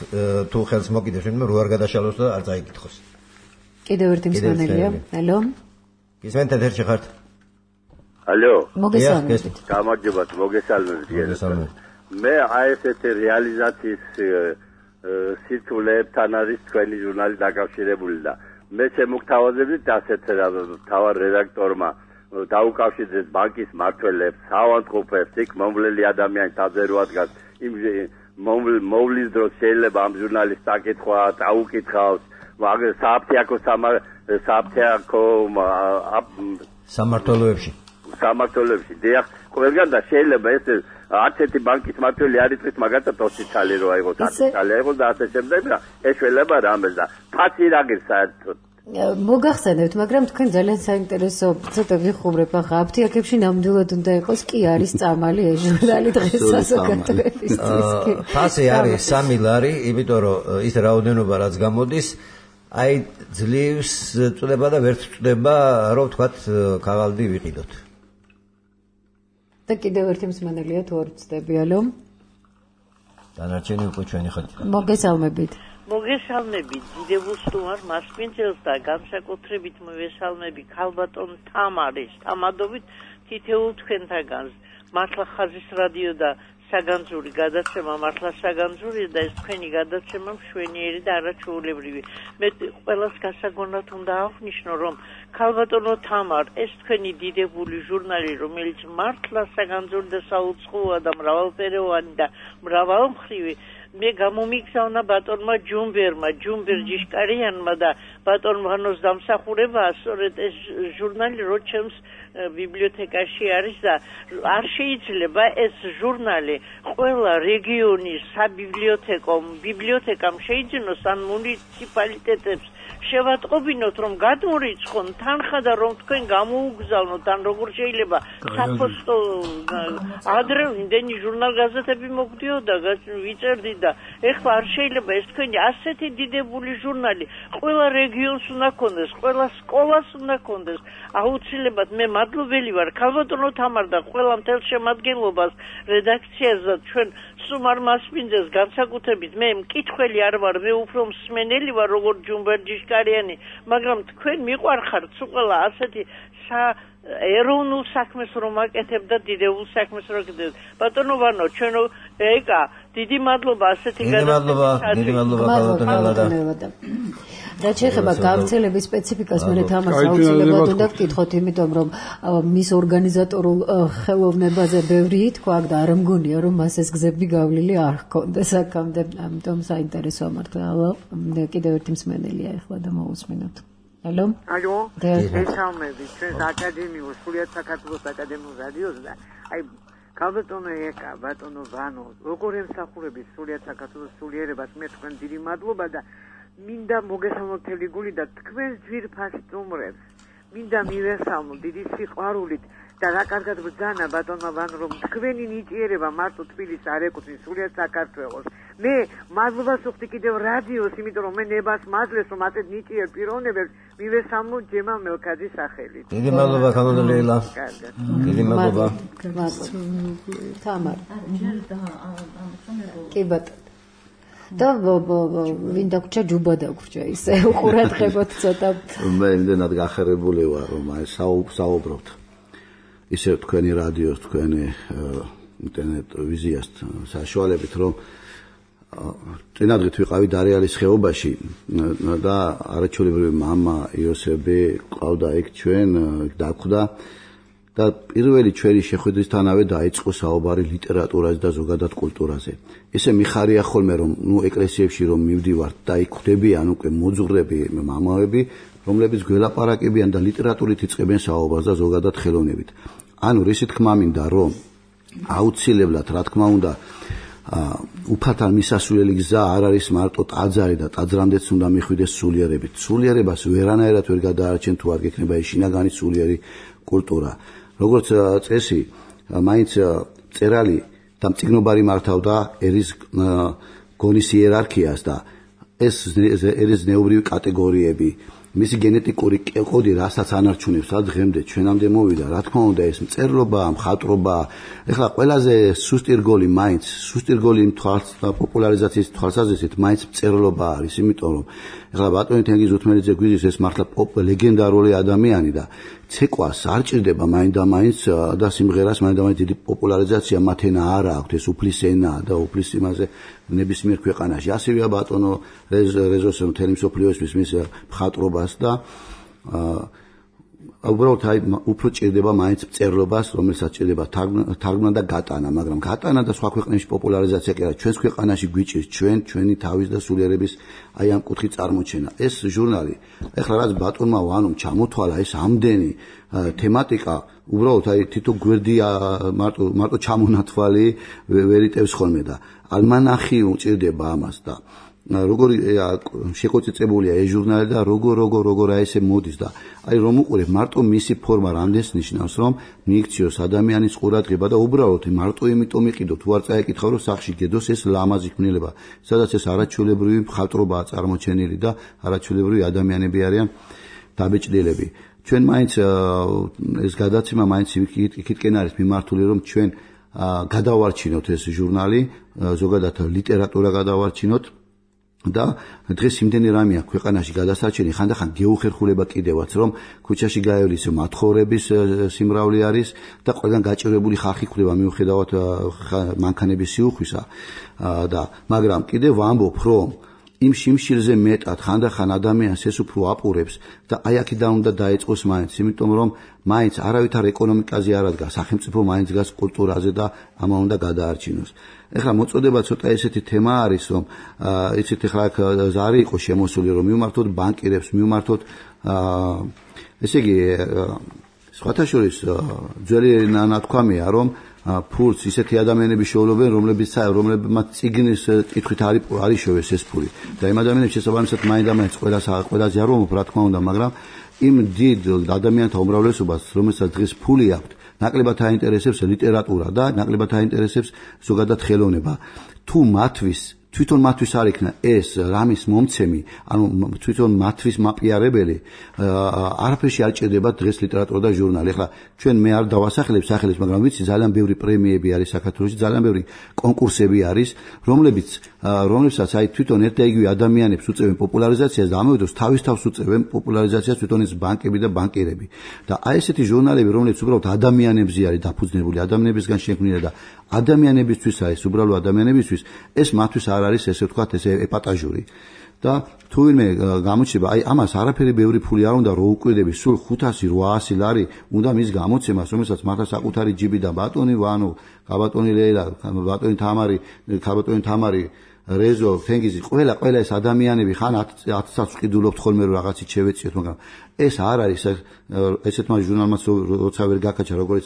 თუ ხელს მოკიდებს ვინმე რო არ გადაშალოს და არ წაიკითხოს. კიდევ ერთი მსმენელია. ალო? გისმენთ ეთერში ხართ? ალო? მოგესალმებით. გამარჯობათ, მოგესალმებით. მე აი ესეთი რეალიზაციის სიტულებთან არის თქვენი ჟურნალი დაკავშირებული და მე შემოგთავაზებდით ასეთ თავარ რედაქტორმა დაუკავშირდეს ბანკის მმართველებს, ავადმყოფებს, იქ მომვლელი ადამიანის თავზე რო ადგას იმ მოვლის დროს შეიძლება ამ ჟურნალის საკითხვა დაუკითხავს, მაგრამ საფთიაქო სამმართველოებში დიახ, ყველგან და შეიძლება ეს არც ერთი ბანკის მმართველი არ იტყვის მაგათაც 20 წელი რო აიღოს, 10 წელი აიღოს და ასე შემდეგ და ეს შეიძლება რამეს და ფაცი რა გირს საერთოდ მოგახსენებთ, მაგრამ თქვენ ძალიან საინტერესო ცოტა ვიხუბრებ ახლა აფთიაქებში ნამდვილად უნდა იყოს კი არის წამალი ეს ჟურნალი დღეს საზოგადოებისთვის. ფასი არის 3 ლარი, იმიტომ რომ ის რაოდენობა რაც გამოდის, აი ძლივს წდება და ვერ წდება, რომ თქვათ ქაღალდი ვიყიდოთ. და კიდევ ერთი მსმენელია თუ არ ვწდები, ალო? დანარჩენი უკვე ჩვენი ხალხი. მოგესალმებით. მოგესალმებით დიდებულს თუ არ მასპინძელს და განსაკუთრებით მოვესალმები ქალბატონ თამარის თამადობით თითოეულ თქვენთაგანს. მართლა ხაზის რადიო და საგანძური გადაცემა მართლა საგანძურია და ეს თქვენი გადაცემა მშვენიერი და არაჩვეულებრივი. მე ყველას გასაგონად უნდა აღვნიშნო, რომ ქალბატონო თამარ, ეს თქვენი დიდებული ჟურნალი, რომელიც მართლა საგანძური და საუცხოა და მრავალფეროვანი და მრავალმხრივი, მე გამომიგზავნა ბატონმა ჯუმბერ ჯიშკარიანმა და ბატონ ვანოს დამსახურებაა სწორედ ეს ჟურნალი რო ჩემს ბიბლიოთეკაში არის და არ შეიძლება ეს ჟურნალი ყველა რეგიონის ბიბლიოთეკამ შეიძინოს ან მუნიციპალიტეტებს შევატყობინოთ რომ გადმორიცხონ თანხა და რომ თქვენ გამოუგზავნოთ ან როგორ შეიძლება საფოსტო ადრე იმდენი ჟურნალ-გაზეთები მოგდიოდა ვიწერდი და ეხლა არ შეიძლება ეს თქვენი ასეთი დიდებული ჟურნალი ყველა რეგიონს უნდა ქონდეს, ყველა სკოლას უნდა ქონდეს. აუცილებლად მე მადლობელი ვარ ქალბატონო თამარ და ყველა მთელ შემადგენლობას რედაქციას და ჩვენ სუმარ მასპინძელს განსაკუთრებით მე მკითხველი არ ვარ, მე უფრო მსმენელი ვარ როგორც ჯუმბერჯიშკარიანი, მაგრამ თქვენ მიყვარხართ ყველა ასეთი ეროვნულ საქმეს რომ აკეთებ და დიდებულ საქმეს რომ აკეთებ. ბატონო ვანო, ჩვენო ეკა დიდი მადლობა ასეთი გადაცემისთვის. დიდი მადლობა ქალბატონელა და რაც შეეხება გავრცელების სპეციფიკას, მე თამას აუცილებლად უნდა ვკითხოთ, იმიტომ რომ მის ორგანიზატორულ ხელოვნებაზე ბევრი ითქვა და არ მგონია რომ მას ეს გზები გავლილი არ ჰქონდეს აქამდე, ამიტომ საინტერესოა მართლა. კიდევ ერთი მსმენელია ახლა და მოусმინოთ. ალო? ალო? მოგესალმებით, ჩვენს აკადემიურ სრულიად საქართველოს აკადემიურ რადიოს და აი ქალბატონო ეკა, ბატონო ვანო, როგორ ემსახურების სრულიად საქართველოს სულიერებას, მე თქვენ დიდი მადლობა და მინდა მოგესალმოთ გული და თქვენს ძვირფას სტუმრებს მინდა მივესალმო დიდი სიყვარულით და რა კარგად ბრძანა ბატონმა ვანო რომ თქვენი ნიჭიერება მარტო თბილისს არ ეკუთვნის სრულიად საქართველოს მე მადლობას ვუხდი კიდევ რადიოს, იმიტომ რომ მე ნებას მაძლევს, რომ ასეთ ნიჭიერ პიროვნებებს მივესალმო ჯემა მელქაძის სახელით. დიდი მადლობა ქალბატონ ლეილა. დიდი მადლობა. თამარ. კი ბატონო. და ვინ დაგვრჩა ჯუბა დაგვრჩა ისე უყურადღებოთ ცოტა. მე იმდენად გახარებული ვარ რომ აი საუბრობთ. ისე თქვენი რადიოს, თქვენი ინტერნეტ ვიზიას საშუალებით რომ წინადღით ვიყავი დარიალის ხეობაში და არაჩვეულებრივი მამა იოსები ყავდა იქ ჩვენ დაგვდა და პირველი ჩვენი შეხვედრისთანავე დაიწყო საუბარი ლიტერატურაზე და ზოგადად კულტურაზე. ესე მიხარია ხოლმე რომ ეკლესიებში რომ მივდივართ და იქ ხვდებიან უკვე მოძღვრები მამაები, რომლებიც გველაპარაკებიან და ლიტერატურით იწყებენ საუბარს და ზოგადად ხელოვნებით. ანუ რისი თქმა მინდა რომ აუცილებლად რა თქმა უნდა უფალთან მისასვლელი გზა არ არის მარტო ტაძარი და ტაძრამდეც უნდა მიხვიდეს სულიერებით. სულიერებას ვერანაირად ვერ გადაარჩენ თუ არ გექნება ის შინაგანი სულიერი კულტურა. როგორც წესი, მაინც წერალი და მწიგნობარი მართავდა ერის გონის იერარქიას და ეს ერის ზნეობრივი კატეგორიები, მისი გენეტიკური კოდი რასაც ანარჩუნებს და დღემდე ჩვენამდე მოვიდა, რა თქმა უნდა ეს მწერლობა, მხატვრობა, ეხლა ყველაზე სუსტი რგოლი მაინც, სუსტი რგოლი პოპულარიზაციის თვალსაზრისით მაინც მწერლობა არის, იმიტომ რომ ეხლა ბატონი თენგიზ უთმელიძე გვიძის ეს მართლა ლეგენდარული ადამიანი და ცეკვას არ ჭირდება მაინდა-მაინც და სიმღერას მაინდა-მაინც დიდი პოპულარიზაცია მათ ენა არ აქვს, ეს უფლის ენა და უფლის იმაზე ნებისმიერ ქვეყანაში. ასევეა ბატონო რეზოსე მთელი მსოფლიოსთვის მის მხატვრობას და უბრალოდ აი უფრო ჭირდება მაინც მწერლობას, რომელსაც ჭირდება თარგმნა და გატანა, მაგრამ გატანა და სხვა ქვეყნებში პოპულარიზაცია კი არა, ჩვენს ქვეყანაში გვიჭირს ჩვენი თავის და სულიერების აი ამ კუთხით წარმოჩენა. ეს ჟურნალი, ეხლა რაც ბატონმა ვანომ ჩამოთვალა ეს ამდენი თემატიკა, უბრალოდ აი თითო გვერდი მარტო ჩამონათვალი ვერ იტევს ხოლმე და ალმანახი უჭირდება ამას და როგორი შეკოწიწებულია ეს ჟურნალი და როგორ აი ესე მოდის და აი რომ უყურებ მარტო მისი ფორმა რამდენს ნიშნავს რომ მიიქციოს ადამიანის ყურადღება და უბრალოდ მარტო იმიტომ იყიდო თუ არ წაიკითხავ რომ სახში გედოს ეს ლამაზი ქმნილება სადაც ეს არაჩვეულებრივი მხატვრობაა წარმოჩენილი და არაჩვეულებრივი ადამიანები არიან დაბეჭდილები ჩვენ მაინც ეს გადაცემა მაინც იქითკენ არის მიმართული რომ ჩვენ გადავარჩინოთ ეს ჟურნალი ზოგადად ლიტერატურა გადავარჩინოთ და დღეს იმდენი რამე აქვს ქვეყანაში გადასარჩენი ხანდახან გეუხერხულება კიდევაც რომ ქუჩაში გაევლის მათხოვრების სიმრავლე არის და ყველგან გაჭირებული ხალხი ხვდება მიუხედავად მანქანების სიუხვისა და მაგრამ კიდევ ვამბობ რომ იმ შიმშილზე მეტად ხანდახან ადამიანს ეს უფრო აპურებს და აი აქედან უნდა დაიწყოს მაინც იმიტომ რომ მაინც არავითარ ეკონომიკაზე არ ადგას სახელმწიფო მაინც დგას კულტურაზე და ამა უნდა გადაარჩინოს ეხლა მოწოდება ცოტა ესეთი თემა არის რომ იცით ეხლა ზარი იყო შემოსული რომ მივმართოთ ბანკირებს მივმართოთ ესე იგი სხვათა შორის ძველი ნათქვამია რომ ფულს ისეთი ადამიანები შეულობენ რომლებმაც წიგნის კითხვით არის შევეს ეს ფული და იმ ადამიანებს შესაბამისად მაინდა-მაინც ყველას არ ვამბობ რა თქმა უნდა მაგრამ იმ დიდ ადამიანთა უმრავლესობას რომელსაც დღეს ფული აქვს ნაკლებად აინტერესებს ლიტერატურა და ნაკლებად აინტერესებს ზოგადად ხელოვნება თუ თვითონ მათთვის არ იქნა ეს რამის მომცემი ანუ თვითონ მათთვის მაპიარებელი არაფერში არ ჭირდება დღეს ლიტერატურა და ჟურნალი ახლა ჩვენ მე არ დავასახელებ სახელებს მაგრამ ვიცი ძალიან ბევრი პრემიები არის საქართველოში ძალიან ბევრი კონკურსები არის რომლებსაც აი თვითონ ერთ და იგივე ადამიანებს უწევენ პოპულარიზაციას და ამავე დროს თავის თავს უწევენ პოპულარიზაციას თვითონ ეს ბანკები და ბანკირები და აი ესეთი ჟურნალები რომლებიც უბრალოდ ადამიანებზე არის დაფუძნებული ადამიანებისგან შექმნილი და ადამიანებისთვის არის უბრალოდ ადამიანებისთვის ეს მათთვის არ არის ესე ვთქვათ ეს ეპატაჟური და თუ ვინმე გამოჩნდება აი ამას არაფერი ბევრი ფული არ უნდა რო უკვირდები სულ 500-800 ლარი უნდა მის გამოცემას რომელსაც მართლა საკუთარი ჯიბი და ბატონი ვანო გაბატონი ლეილა ბატონი თამარი რეზო თენგიზი ყველა ეს ადამიანები ხან 1000-ს ვყიდულობთ ხოლმე რომ რაღაცით შევეციოთ მაგრამ ეს არ არის ესეთმა ჟურნალმაც როცა ვერ გაკაჩა როგორც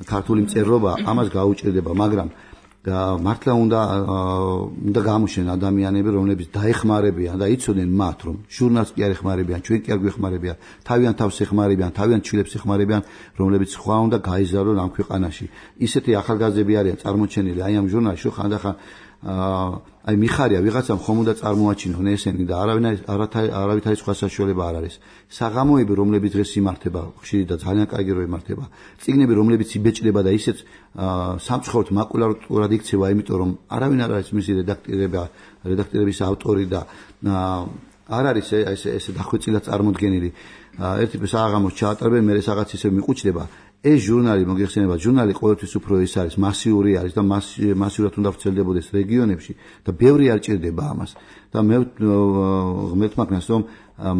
ქართული მწერლობა ამას გაუჭირდება მაგრამ მართლა უნდა გამოჩნდნენ ადამიანები რომლებიც დაეხმარებიან და იცოდნენ მათ რომ ჟურნალს კი არ ეხმარებიან ჩვენ კი არ გვეხმარებიან თავიანთ თავს ეხმარებიან თავიანთ ჩილებს ეხმარებიან რომლებიც სხვა უნდა გაიზარდონ ამ ქვეყანაში ისეთი ახალგაზრდები არიან წარმოჩენილი აი ამ ჟურნალში ხანდახან აი მიხარია ვიღაცამ ხომ უნდა წარმოაჩინონ ესენი და არავითარი სხვა საშუალება არ არის. საღამოები, რომლებიც დღეს იმართება, ხშირი და ძალიან კარგი რო იმართება. წიგნები, რომლებიც იბეჭდება და ისეც სამწუხაროდ მაკულატურად იქცევა, იმიტომ რომ არავინ არ არის მისი რედაქტორების ავტორი და არ არის ესე დახვეწილად წარმოდგენილი. ერთი საღამოს ჩაატარებენ, მერე რაღაც ისე მიყუჩდება. ეს ჟურნალი მოგეხსენება, ჟურნალი ყოველთვის უფრო ის არის, მასიური არის და მასიურად უნდა ვრცელდებოდეს რეგიონებში და ბევრი არ ჭირდება ამას. და მე ღმერთს მაგნას რომ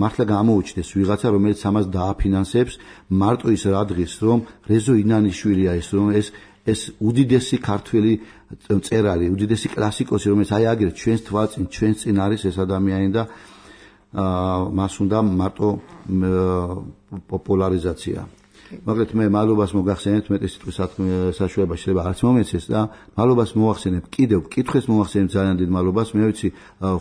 მართლა გამოუჩნდეს ვიღაცა, რომელიც ამას დააფინანსებს, მარტო ის რა დღის, რომ რეზო ინანიშვილია ეს, რომ ეს უდიდესი ქართველი მწერალი, უდიდესი კლასიკოსი, რომელიც აი აგერ ჩვენს თვალწინ, ჩვენს წინ არის ეს ადამიანი და მას უნდა მარტო პოპულარიზაცია. მაგრამ მე მადლობას მოგახსენებთ, მეტი სიტყვის საშუალება შეიძლება არც მომეცეს და მადლობას მოვახსენებ, კიდევ კითხვის მოვახსენებ ძალიან დიდ მადლობას. მე ვიცი,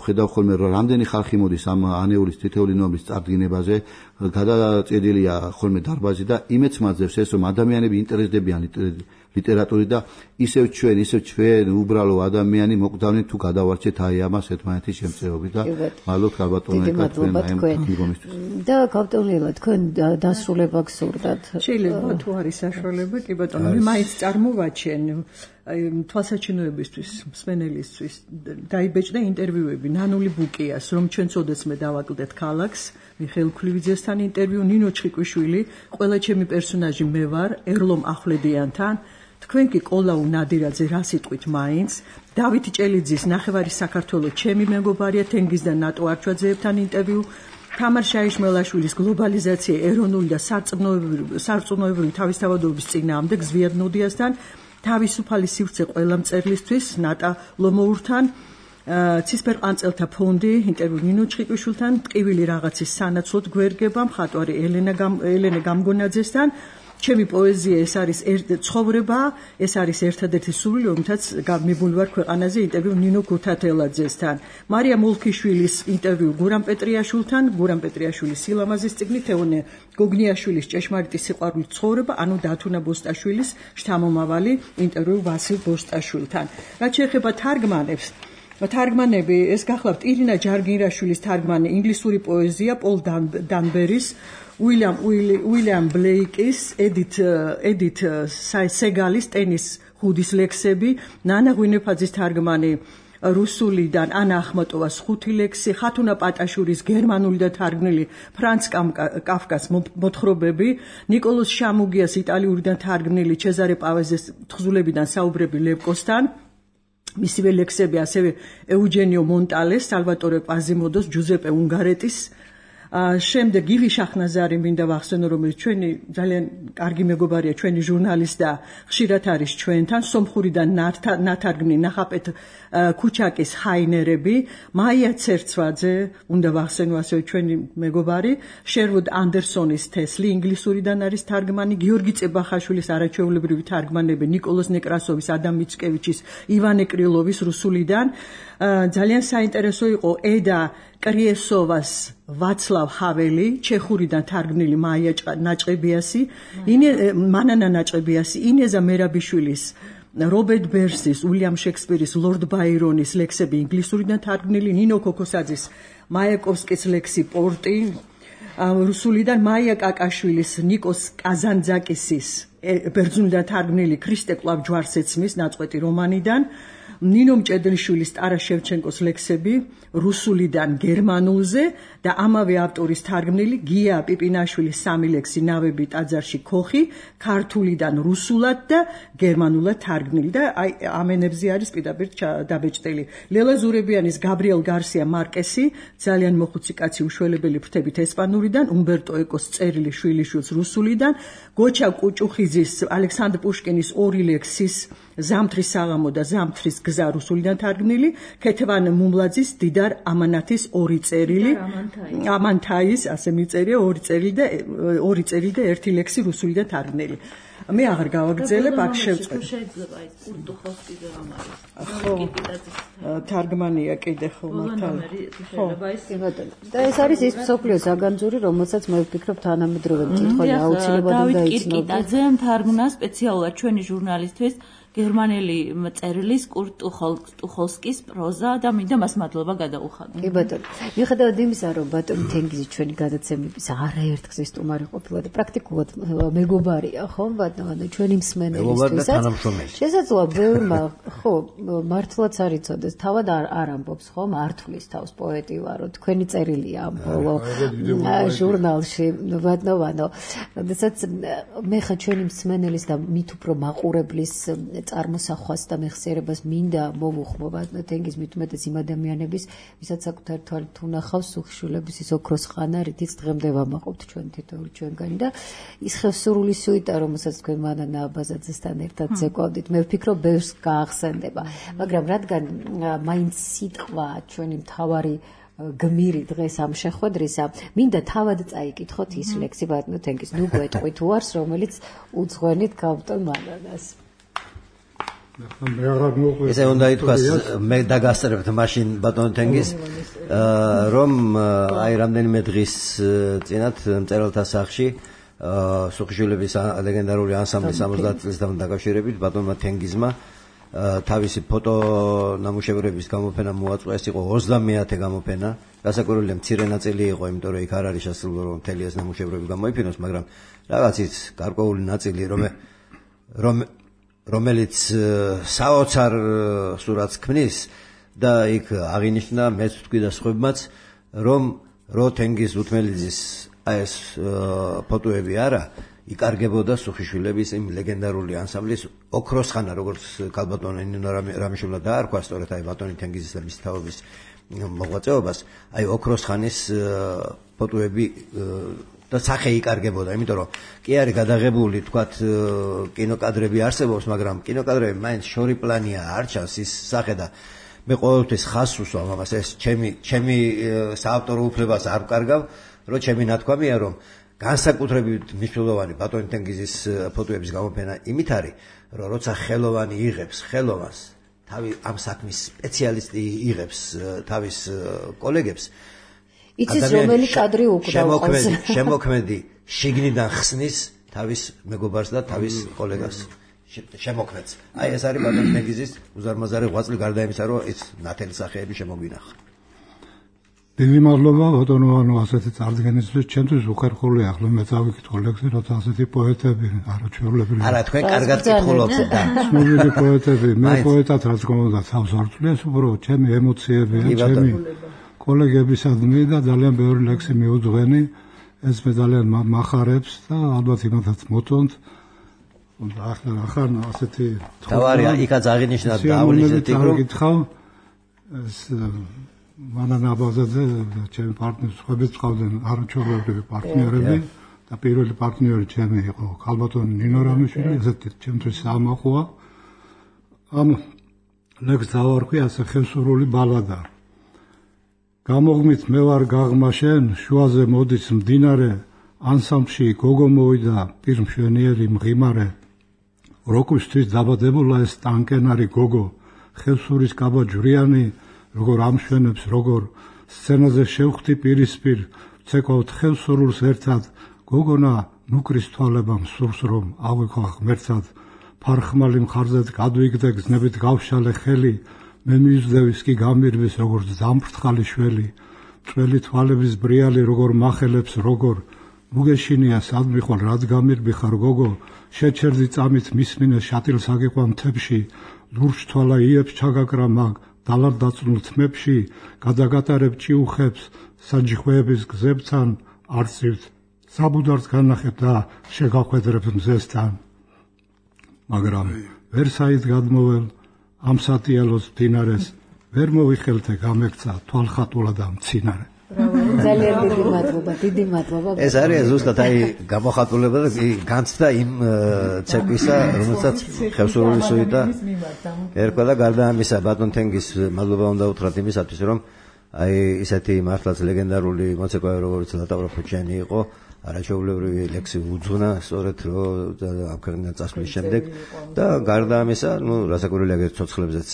ხედავ ხოლმე რომ რამდენი ხალხი მოდის ამ ანეულის თითოეული ნომრის წარდგინებაზე, გადაწყვეტილია ხოლმე დარბაზი და იმეც მაძლევს ეს, რომ ადამიანები ინტერესდებიან ლიტერატურით და ისევ ჩვენ უბრალო ადამიანი მოკვდავნით თუ გადავარჩეთ აი ამას ერთმანეთის შემწეობით და მადლობთ ქალბატონო თქვენ ამ გიგომისთვის. და გავტოლელა თქვენ დასრულება გსურდათ. შეიძლება თუ არის საშუალება, კი ბატონო, მე მაინც წარმოვაჩენ თვალსაჩინოებისთვის, მსმენელისთვის დაიბეჭდა ინტერვიუები ნანული ბუკიას, რომ ჩვენ წოდესმე დავაკლდეთ ქალაქს, მიხეილ ქლივიძესთან ინტერვიუ, ნინო ჩხიკვიშვილი, ყველა ჩემი პერსონაჟი მე ვარ, ერლომ ახვლედიანთან, თქვენ კი კოლაუ ნადირაძე რა სიტყვით მაინც, დავით ჭელიძის ნახევარი საქართველოს ჩემი მეგობარია, თენგიზ და ნატო არჩვაძეებთან ინტერვიუ, თამარ შაიშმელაშვილის გლობალიზაცია ეროვნული და სარწმუნოებრივი თავისთავადობის წინააღმდეგ ზვიად ნოდიასთან, თავისუფალი სივრცე ყველა მწერლისთვის ნატა ლომოურთან, ცისფერყანწელთა ფონდი ინტერვიუ ნინო ჩხიკვიშვილთან, ტკივილი რაღაცის სანაცვლოდ გვერგება, მხატვარი ელენე გამგონაძესთან, ჩემი პოეზია ეს არის ცხოვრება, ეს არის ერთადერთი სურვილი, რომთაც მიბული ვარ ქვეყანაზე ინტერვიუ ნინო გუთათელაძესთან, მარია მოლქიშვილის ინტერვიუ გურამ პეტრიაშვილთან, გურამ პეტრიაშვილის სილამაზის წიგნი, თეონე გოგნიაშვილის ჭეშმარიტი სიყვარულით ცხოვრება, ანუ დათუნა ბოსტაშვილის შთამომავალი ინტერვიუ ვასილ ბოსტაშვილთან. რაც შეეხება თარგმანები, ეს გახლავთ ირინა ჯარგირაშვილის თარგმანი ინგლისური პოეზია, პოლ დანბერის, უილიამ ბლეიკის, ედით სეგალის ტენის ჰუდის ლექსები, ნანა ღვინეფაძის თარგმანი რუსულიდან, ანა ახმატოვას 5 ლექსი, ხათუნა პატაშურის გერმანული და თარგმნილი ფრანც კაფკას მოთხრობები, ნიკოლოზ შამუგიას იტალიურიდან თარგმნილი ჩეზარე პავეზეს თხზულებიდან საუბრები ლევკოსთან, მისივე ლექსები ასევე ეუჯენიო მონტალეს, სალვატორე კვაზიმოდოს, ჯუზეპე უნგარეტის, შემდეგ ივი შახნაზარი მინდა ვახსენო, რომელიც ჩვენი ძალიან კარგი მეგობარია, ჩვენი ჟურნალისტი და ხშირად არის ჩვენთან, სომხურიდან ნათარგმნი ნახაპეთ ქუჩაკის ჰაინერები, მაია ცერცვაძე, უნდა ვახსენო ასევე ჩვენი მეგობარი, შერვუდ ანდერსონის თესლი, ინგლისურიდან არის თარგმანი, გიორგი წებახაშვილის არაჩვეულებრივი თარგმანები, ნიკოლოზ ნეკრასოვის, ადამ მიცკევიჩის, ივანე კრილოვის რუსულიდან, ძალიან საინტერესო იყო ედა კრიესოვას ვაცლავ ჰაველი, ჩეხურიდან თარგმნილი მანანა ნაჭყებიასი, ინეზა მერაბიშვილის, რობერტ ბერსის, უილიამ შექსპირის, ლორდ ბაირონის ლექსები ინგლისურიდან თარგმნილი, ნინო ქოქოსაძის, მაიაკოვსკის ლექსი პორტი, რუსულიდან მაია კაკაშვილის, ნიკოს კაზანძაკისის, ბერძნულიდან თარგმნილი ქრისტე კვლავ ჯვარს ეცმის ნაწყვეტი რომანიდან, ნინო მჭედლიშვილის, ტარას შევჩენკოს ლექსები რუსულიდან გერმანულზე და ამავე ავტორის თარგმნილი გია პიპინაშვილის 3 ლექსი ნავები ტაძარში ქოხი, ქართულიდან რუსულად და გერმანულად თარგმნილი და აი ამ ენებზე არის პირდაპირ დაბეჭდილი. ლელა ზურებიანის, გაბრიელ გარსია მარკესი, ძალიან მოხუცი კაცი უშველებელი ფრთებით ესპანურიდან, უმბერტო ეკოს წერილი შვილიშვილს რუსულიდან, გოჩა კუჭუხიძის, ალექსანდრ პუშკინის 2 ლექსის ზამთრის საღამო და ზამთრის გზა რუსულიდან თარგმნილი, ქეთევან მუმლაძის, დიდარ ამანათის 2 წერილი, ამანთაის, ასე მიწერია 2 წერილი და 1 ლექსი რუსულიდან თარგმნილი. მე აღარ გავაგრძელებ, აქ შევწყვეტ. შეიძლება ის კურტუხოს კიდე რამ არის. თარგმანია კიდე ხო მართალ. და ეს არის ის მსოფლიო საგანძური, რომელსაც მე ვფიქრობ თანამედროვე მკითხველი აუცილებლად უნდა იცნობა. დავით კირკიტაძემ თარგმნა სპეციალურად ჩვენი ჟურნალისტვის გერმანელი მწერლის კურტ ტუხოლსკის პროზა და მინდა მას მადლობა გადაუხადო. კი ბატონო. მიუხედავად იმისა, რომ ბატონი თენგიზი ჩვენი გადაცემების არაერთ ხის სტუმარი ყოფილა და პრაქტიკულად მეგობარია, ხო, ბატონო, ჩვენი მსმენელისთვისაც. შესაძლოა ბევრმა, ხო, მართლაც არ იცოდეს, თავად არ ამბობს, ხო, მართლის თავს პოეტი ვარო, თქვენი წერილია ამ ბოლო ჟურნალში, ბატონო. როდესაც მე ხა ჩვენი მსმენელის და მით უფრო მაყურებლის წარმოსახვას და მეხსიერებას მინდა მოვუხმო ბატონო თენგიზ მით უმეტეს იმ ადამიანების, ვისაც საკუთარ თვალით უნახავს სუხიშვილების ის ოქროს ხანა, რითიც დღემდე ვამაყობთ ჩვენ თითოეული ჩვენგანი და ის ხევსურული სუიტა, რომელსაც თქვენ მანანა აბაზაძესთან ერთად ზეკვავდით, მე ვფიქრობ ბევრს გაახსენდება, მაგრამ რადგან მაინც სიტყვა ჩვენი მთავარი გმირი დღეს ამ შეხვედრისა, მინდა თავად წაიკითხოთ ის ლექსი ბატონო თენგიზ, ნუ გვეტყვით უარს, რომელიც უძღვენით გაბტონ მანანას. ესე უნდა ითქვას, მე დაგასწრებთ მაშინ ბატონო თენგიზ, რომ აი რამდენიმე დღის წინათ მწერალთა სახლში სუხიშვილების ლეგენდარული ანსამბლის 70 წლისთან დაკავშირებით ბატონმა თენგიზმა თავისი ფოტო ნამუშევრების გამოფენა მოაწყო, ეს იყო 30-ე გამოფენა, გასაკვირველია მცირე ნაწილი იყო, იმიტომ რომ იქ არ არის შესაძლებელი რომ მთელი ეს ნამუშევრები გამოიფინოს, მაგრამ რაღაცით გარკვეული ნაწილი რომელიც საოცარ სურათს ქმნის და იქ აღინიშნა მეც ვთქვი და სხვებმაც, რომ თენგიზ უთმელიძის აი ეს ფოტოები არა იკარგებოდა სუხიშვილების იმ ლეგენდარული ანსამბლის ოქროს ხანა, როგორც ქალბატონი ნინო რამიშვილმა დაარქვა სწორედ აი ბატონი თენგიზის და მის თაობის მოღვაწეობას, აი ოქროს ხანის ფოტოები და სახე იკარგებოდა, იმიტომ რომ კი არის გადაღებული, თქვათ, კინოკადრები არსებობს, მაგრამ კინოკადრები მაინც შორი პლანია, არ ჩანს ის სახე და მე ყოველთვის ხაზს უსვამ ამას, ეს ჩემი საავტორო უფლებას არ ვკარგავ, რომ ჩემი ნათქვამია, რომ განსაკუთრებით მნიშვნელოვანი ბატონი თენგიზის ფოტოების გამოფენა იმით არის, რომ როცა ხელოვანი იღებს ხელოვანს, თავი ამ საქმის სპეციალისტი იღებს თავის კოლეგებს, იცის რომელი კადრი უკრავავს. შემოქმედი შიგნიდან ხსნის თავის მეგობარს და თავის კოლეგას. შემოქმედს. აი ეს არის ბატონი თენგიზის უზარმაზარი ღვაწლი, გარდა იმისა, რომ ის ნათელი სახეები შემოგვინახა. დიდი მადლობა ბატონო, ასეთი წარდგენისთვის, ჩემთვის უხერხული ახლა მე წავიკითხო ლექსი, როცა ასეთი პოეტები არაჩვეულებრივი. არა, თქვენ კარგად კითხულობთ და ცნობილი პოეტები, მე პოეტად რაც გქონდა თავს არ წვლიეს, უბრალოდ ჩემი ემოციებია, ჩემი კოლეგებისადმი და ძალიან ბევრი ლექსი მიუძღვენი, ეს მე ძალიან მახარებს და ალბათ იმათაც მოწონთ. და ახლა ასეთი თავარია, იქაც აღინიშნა დაავლისეთ იქ რომ გითხავ ეს მანანა აბაზაძე ჩემი პარტნიორი სხვებიც ყავდნენ არაჩვეულებრივი პარტნიორები და პირველი პარტნიორი ჩემი იყო ქალბატონი ნინო რამიშვილი, ესეთი ჩემთვის საამაყოა. ამ ლექსს დავარქვი ასე ხევსურული ბალადა. გამოღმით მე ვარ გაღმაშენ, შუაზე მოდის მდინარე, ანსამბლში გოგო მოვიდა პირმშვენიერი მღიმარე. როკვისთვის დაბადებულა ეს ტანკენარი გოგო, ხევსურის კაბა ჯვრიანი, როგორ ამშვენებს, როგორ სცენაზე შევხვდი პირისპირ, ვცეკვავთ ხევსურულს ერთად, გოგონა ნუკრის თვალებამ სურს რომ ავიქვა ღმერთად, ფარხმალი მხარზედ გადვიგდე გზნებით გავშალე ხელი, მე მივსდევის კი გამირვის როგორც დამფრთხალი შველი, წველი თვალების ბრიალი როგორ მახელებს როგორ, მუგეშინია სადმი ხვალ რად გამირბი ხარ გოგო, შეჩერდი წამით მისმინე შატილს აგიყვან თებში, ლურჯ თვალა იებს ჩაგაკრა მაგ, დალარ დაწნულ თმებში, გადაგატარებ ჭიუხებს, საჯიხვეების გზებთან არწივთ, საბუდარს განახებ და შეგახვედრებ მზესთან. მაგრამ ვერ საით გადმოვალ ამ სატიალოს მდინარეს, ვერ მოვიხელთე გამექცა თვალხატულა და მცინარე. ძალიან დიდი მადლობა. ეს არის ზუსტად აი გამოხატულება და განცდა იმ ცეკვისა, რომელსაც ხევსურული სუიტა ერქვა და გარდა ამისა ბატონ თენგიზ მადლობა უნდა უთხრათ იმისათვის, რომ აი ისეთი მართლაც ლეგენდარული მოცეკვავე როგორც ლატავრა ფუჩიანი იყო, არაჩვეულებრივი ლექსი უძღვნა სწორედ რომ ამ ქვეყნიდან წასვლის შემდეგ და გარდა ამისა, ნუ რასაკვირველია ცოცხლებზეც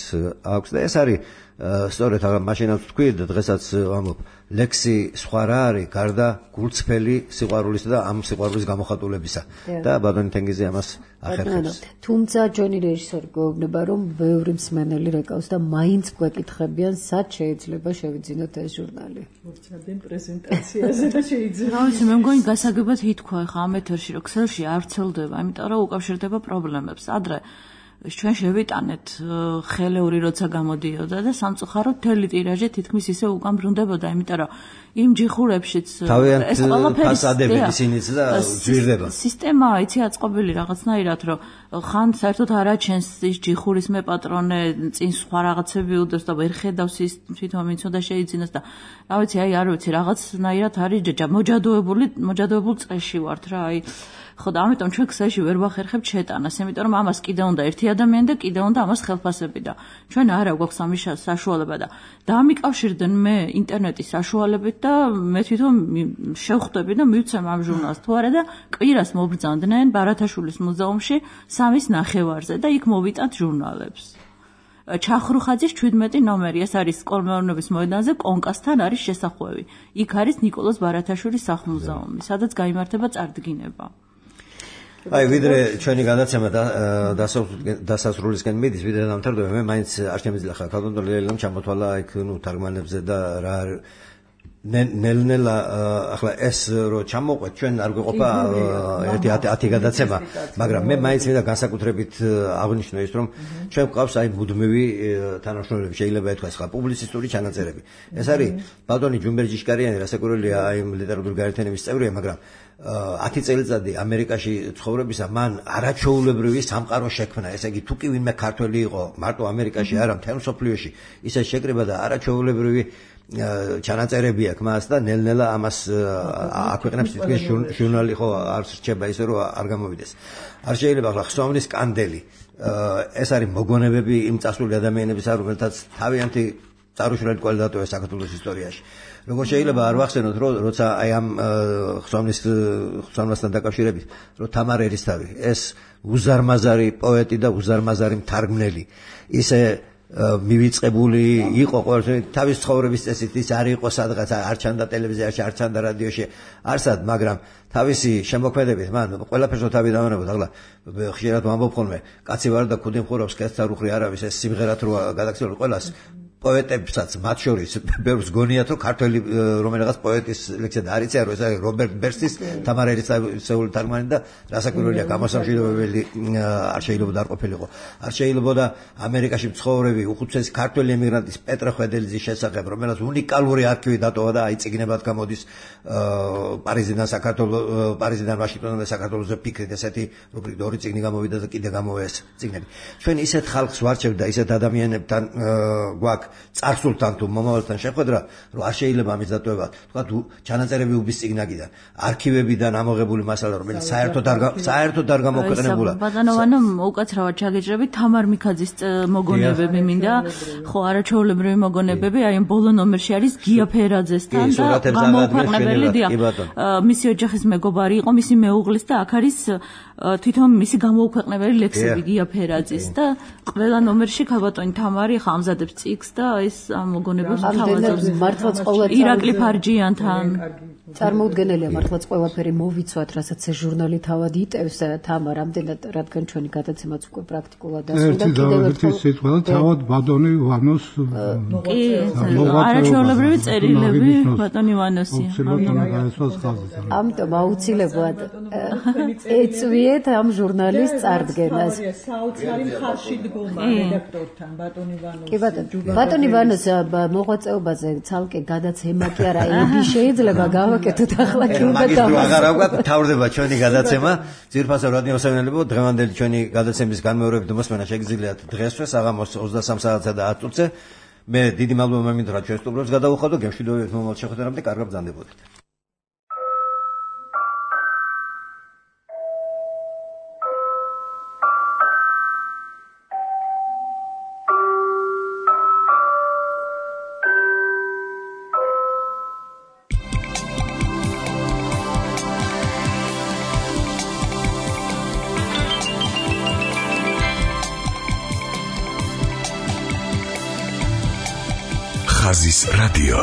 აქვს და ეს არის სწორედ აღარ მაშინაც თქვი და დღესაც ვამბობ ლექსი სხვა რა არის გარდა გულწრფელი სიყვარულისა და ამ სიყვარულის გამოხატულებისა და ბატონი თენგიზი ამას ახერხებს. თუმცა ჯონი რეჟისორი გვეუბნება რომ ბევრი მსმენელი რეკავს და მაინც გვეკითხებიან სად შეიძლება შევიძინოთ ეს ჟურნალი. მორცადენ პრეზენტაციაზე და შეიძლება. რა ვიცი მე მგონი გასაგებად ითქვა ხა ამ ეთერში რომ ქსელში არ ვრცელდება, იმიტომ რომ უკავშირდება პრობლემებს. ადრე ჩვენ შევიტანეთ ხელეული როცა გამოდიოდა და სამწუხაროდ მთელი ტირაჟი თითქმის ისე უკან ბრუნდებოდა, იმიტომ რომ იმ ჯიხურებშიც ეს ყველაფერი ფასადები ისინიც და ძვირდება. სისტემა იცი აწყობილი რაღაცნაირად, რომ ხან საერთოდ არ აჩენს ის ჯიხურის მე პატრონე, წინ სხვა რაღაცები უდევს და ვერ ხედავს ის თვითონ ვინც უნდა შეიძინოს და რა ვიცი, აი არ ვიცი, რაღაცნაირად არის მოჯადოებული წრეში ვართ რა, აი ხო და ამიტომ ჩვენ ქსელში ვერ ვახერხებთ შეტანას, იმიტომ რომ ამას კიდე უნდა ერთი ადამიანი და კიდე უნდა ამას ხელფასები და ჩვენ არა გვაქვს ამის საშუალება და დამიკავშირდნენ მე ინტერნეტის საშუალებით და მე თვითონ შევხვდები და მივცემ ამ ჟურნალს თუ არა და კვირას მობრძანდნენ ბარათაშვილის მუზეუმში 3-ის ნახევარზე და იქ მოვიტანთ ჟურნალებს. ჩახრუხაძის 17 ნომერი, ეს არის სკოლმეურნეობის მოედანზე კონკასთან არის შესახვევი. იქ არის ნიკოლოზ ბარათაშვილის სახლ-მუზეუმი, სადაც გაიმართება წარდგინება. აი ვიდრე ჩვენი გადაცემა დასასრულისკენ მიდის, ვიდრე დამთავრდება, მე მაინც არ შემიძლია ხა ქალბატონ ლელამ ჩამოთვალა იქ თარგმანებზე და რა ნელ-ნელა ახლა ეს რო ჩამოვყვეთ ჩვენ არ გვეყოფა 1-10 გადაცემა, მაგრამ მე მაინც მინდა განსაკუთრებით აღნიშნო ის რომ ჩვენ გვყავს აი მუდმივი თანამშრომლები, შეიძლება ეთქვას ხა პუბლიცისტური ჩანაწერები. ეს არის ბატონი ჯუმბერ ჯიშკარიანი, რასაკვირველია, აი ლიტერატურული გაერთიანების წევრია, მაგრამ 10 წელიწადი ამერიკაში ცხოვრებისა მან არაჩვეულებრივი სამყარო შექმნა. ესე იგი თუ კი ვინმე ქართველი იყო მარტო ამერიკაში არა, მთელ მსოფლიოში ისე შეკრება და არაჩვეულებრივი ჩანაწერები აქვს მას და ნელ-ნელა ამას აქვეყნებს თითქმის ჟურნალი ხო არ რჩება ისე რომ არ გამოვიდეს. არ შეიძლება ახლა ხსოვნის კანდელი ეს არის მოგონებები იმ წასული ადამიანებისა, რომელთაც თავიანთი წარუშლელი კვალი დატოვა საქართველოს ისტორიაში. როგორ შეიძლება არ ვახსენოთ, როცა აი ამ ხსოვნასთან დაკავშირებით, რომ თამარ ერისთავი, ეს უზარმაზარი პოეტი და უზარმაზარი მთარგმნელი, ისე მივიწყებული იყო ყოველთვის თავის ცხოვრების წესით, ის არ იყო სადღაც არ ჩანდა ტელევიზიაში, არ ჩანდა რადიოში, არსად, მაგრამ თავისი შემოქმედებით მან ყველაფერს თავი დავანებოთ. ახლა ხშირად ვამბობ ხოლმე, კაცი ვარ და ქუდი მხურავს, კაცსა უხრი არავის, ეს სიმღერად რო გადაგცემულ ყველას პოეტებსაც მათ შორის ბევრს გონიათ რომ ქართველი რომელიღაც პოეტის ლექსია და არ იციან რომ ეს არის რობერტ ბერსტის თამარ ერისთავის თარგმანი და რასაკვირველია გამოსამშვიდობებელი არ შეიძლება არ ყოფილიყო. არ შეიძლება ამერიკაში მცხოვრები უხუცესი ქართველი ემიგრანტის პეტრე ხვედელიძის შესახებ, რომელსაც უნიკალური არქივი დატოვა და აი წიგნებად გამოდის პარიზიდან ვაშინგტონამდე საქართველოზე ფიქრით, ესეთი რუბრიკა 2 წიგნი გამოვიდა და კიდე გამოვა ეს წიგნები. ჩვენ ისეთ ხალხს ვარჩევთ და ისეთ ადამიანებთან გვაქვს წარსულთან თუ მომავალთან შეხვედრა, რომ არ შეიძლება ამის დატოვება. თქვა ჩანაწერები უბის წიგნაკიდან, არქივებიდან ამოღებული მასალა, რომელიც საერთოდ არ გამოქვეყნებულა. ბატონოვანო, უკაცრავად ჩაგეჭრები თამარ მიქაძის მოგონებები მინდა, ხო, არაჩვეულებრივი მოგონებები, აი ამ ბოლო ნომერში არის გია ფერაძესთან და გამოქვეყნებელი დიახ. მისი ოჯახის მეგობარი იყო, მისი მეუღლის და აქ არის თვითონ მისი გამოუქვეყნებელი ლექსები გია ფერაძის და ყველა ნომერში ქალბატონი თამარი ხა ამზადებს წიგნს და ეს მოგონებებს თავაზობს მართლაც ყოველდღე ირაკლი ფარჯიანთან წარმოუდგენელია მართლაც ყველაფერი მოვიცვათ, რასაც ეს ჟურნალი თავად იტევს თამარ, ამდენად რადგან ჩვენი გადაცემაც უკვე პრაქტიკულად დასრულდა. კიდევ ერთი სიტყვა თავად ბატონი ვანოს არაჩვეულებრივი წერილები ბატონი ვანოსი. ამიტომ აუცილებლად ეწვიეთ ამ ჟურნალის წარდგენას. საოცარი მხარში დგომა რედაქტორთან ბატონი ვანოს. კი ბატონი ვანოს მოღვაწეობაზე ცალკე გადაცემა კი არა, ები შეიძლება გავაკეთოთ ახლა კი უნდა დავას. აღარა გვაქვს თავდება ჩვენი გადაცემა. ძირფასო რადიო მსმენელებო, დღევანდელი ჩვენი გადაცემის განმეორებით მოსმენა შეგიძლიათ დღესვე საღამოს 23 საათსა და 10 წუთზე. მე დიდი მადლობა მინდა რა ჩვენ სტუმრებს გადავუხადო, გემშვიდობებით მომავალ შეხვედრამდე, კარგად ბრძანდებოდეთ. ხაზის რადიო.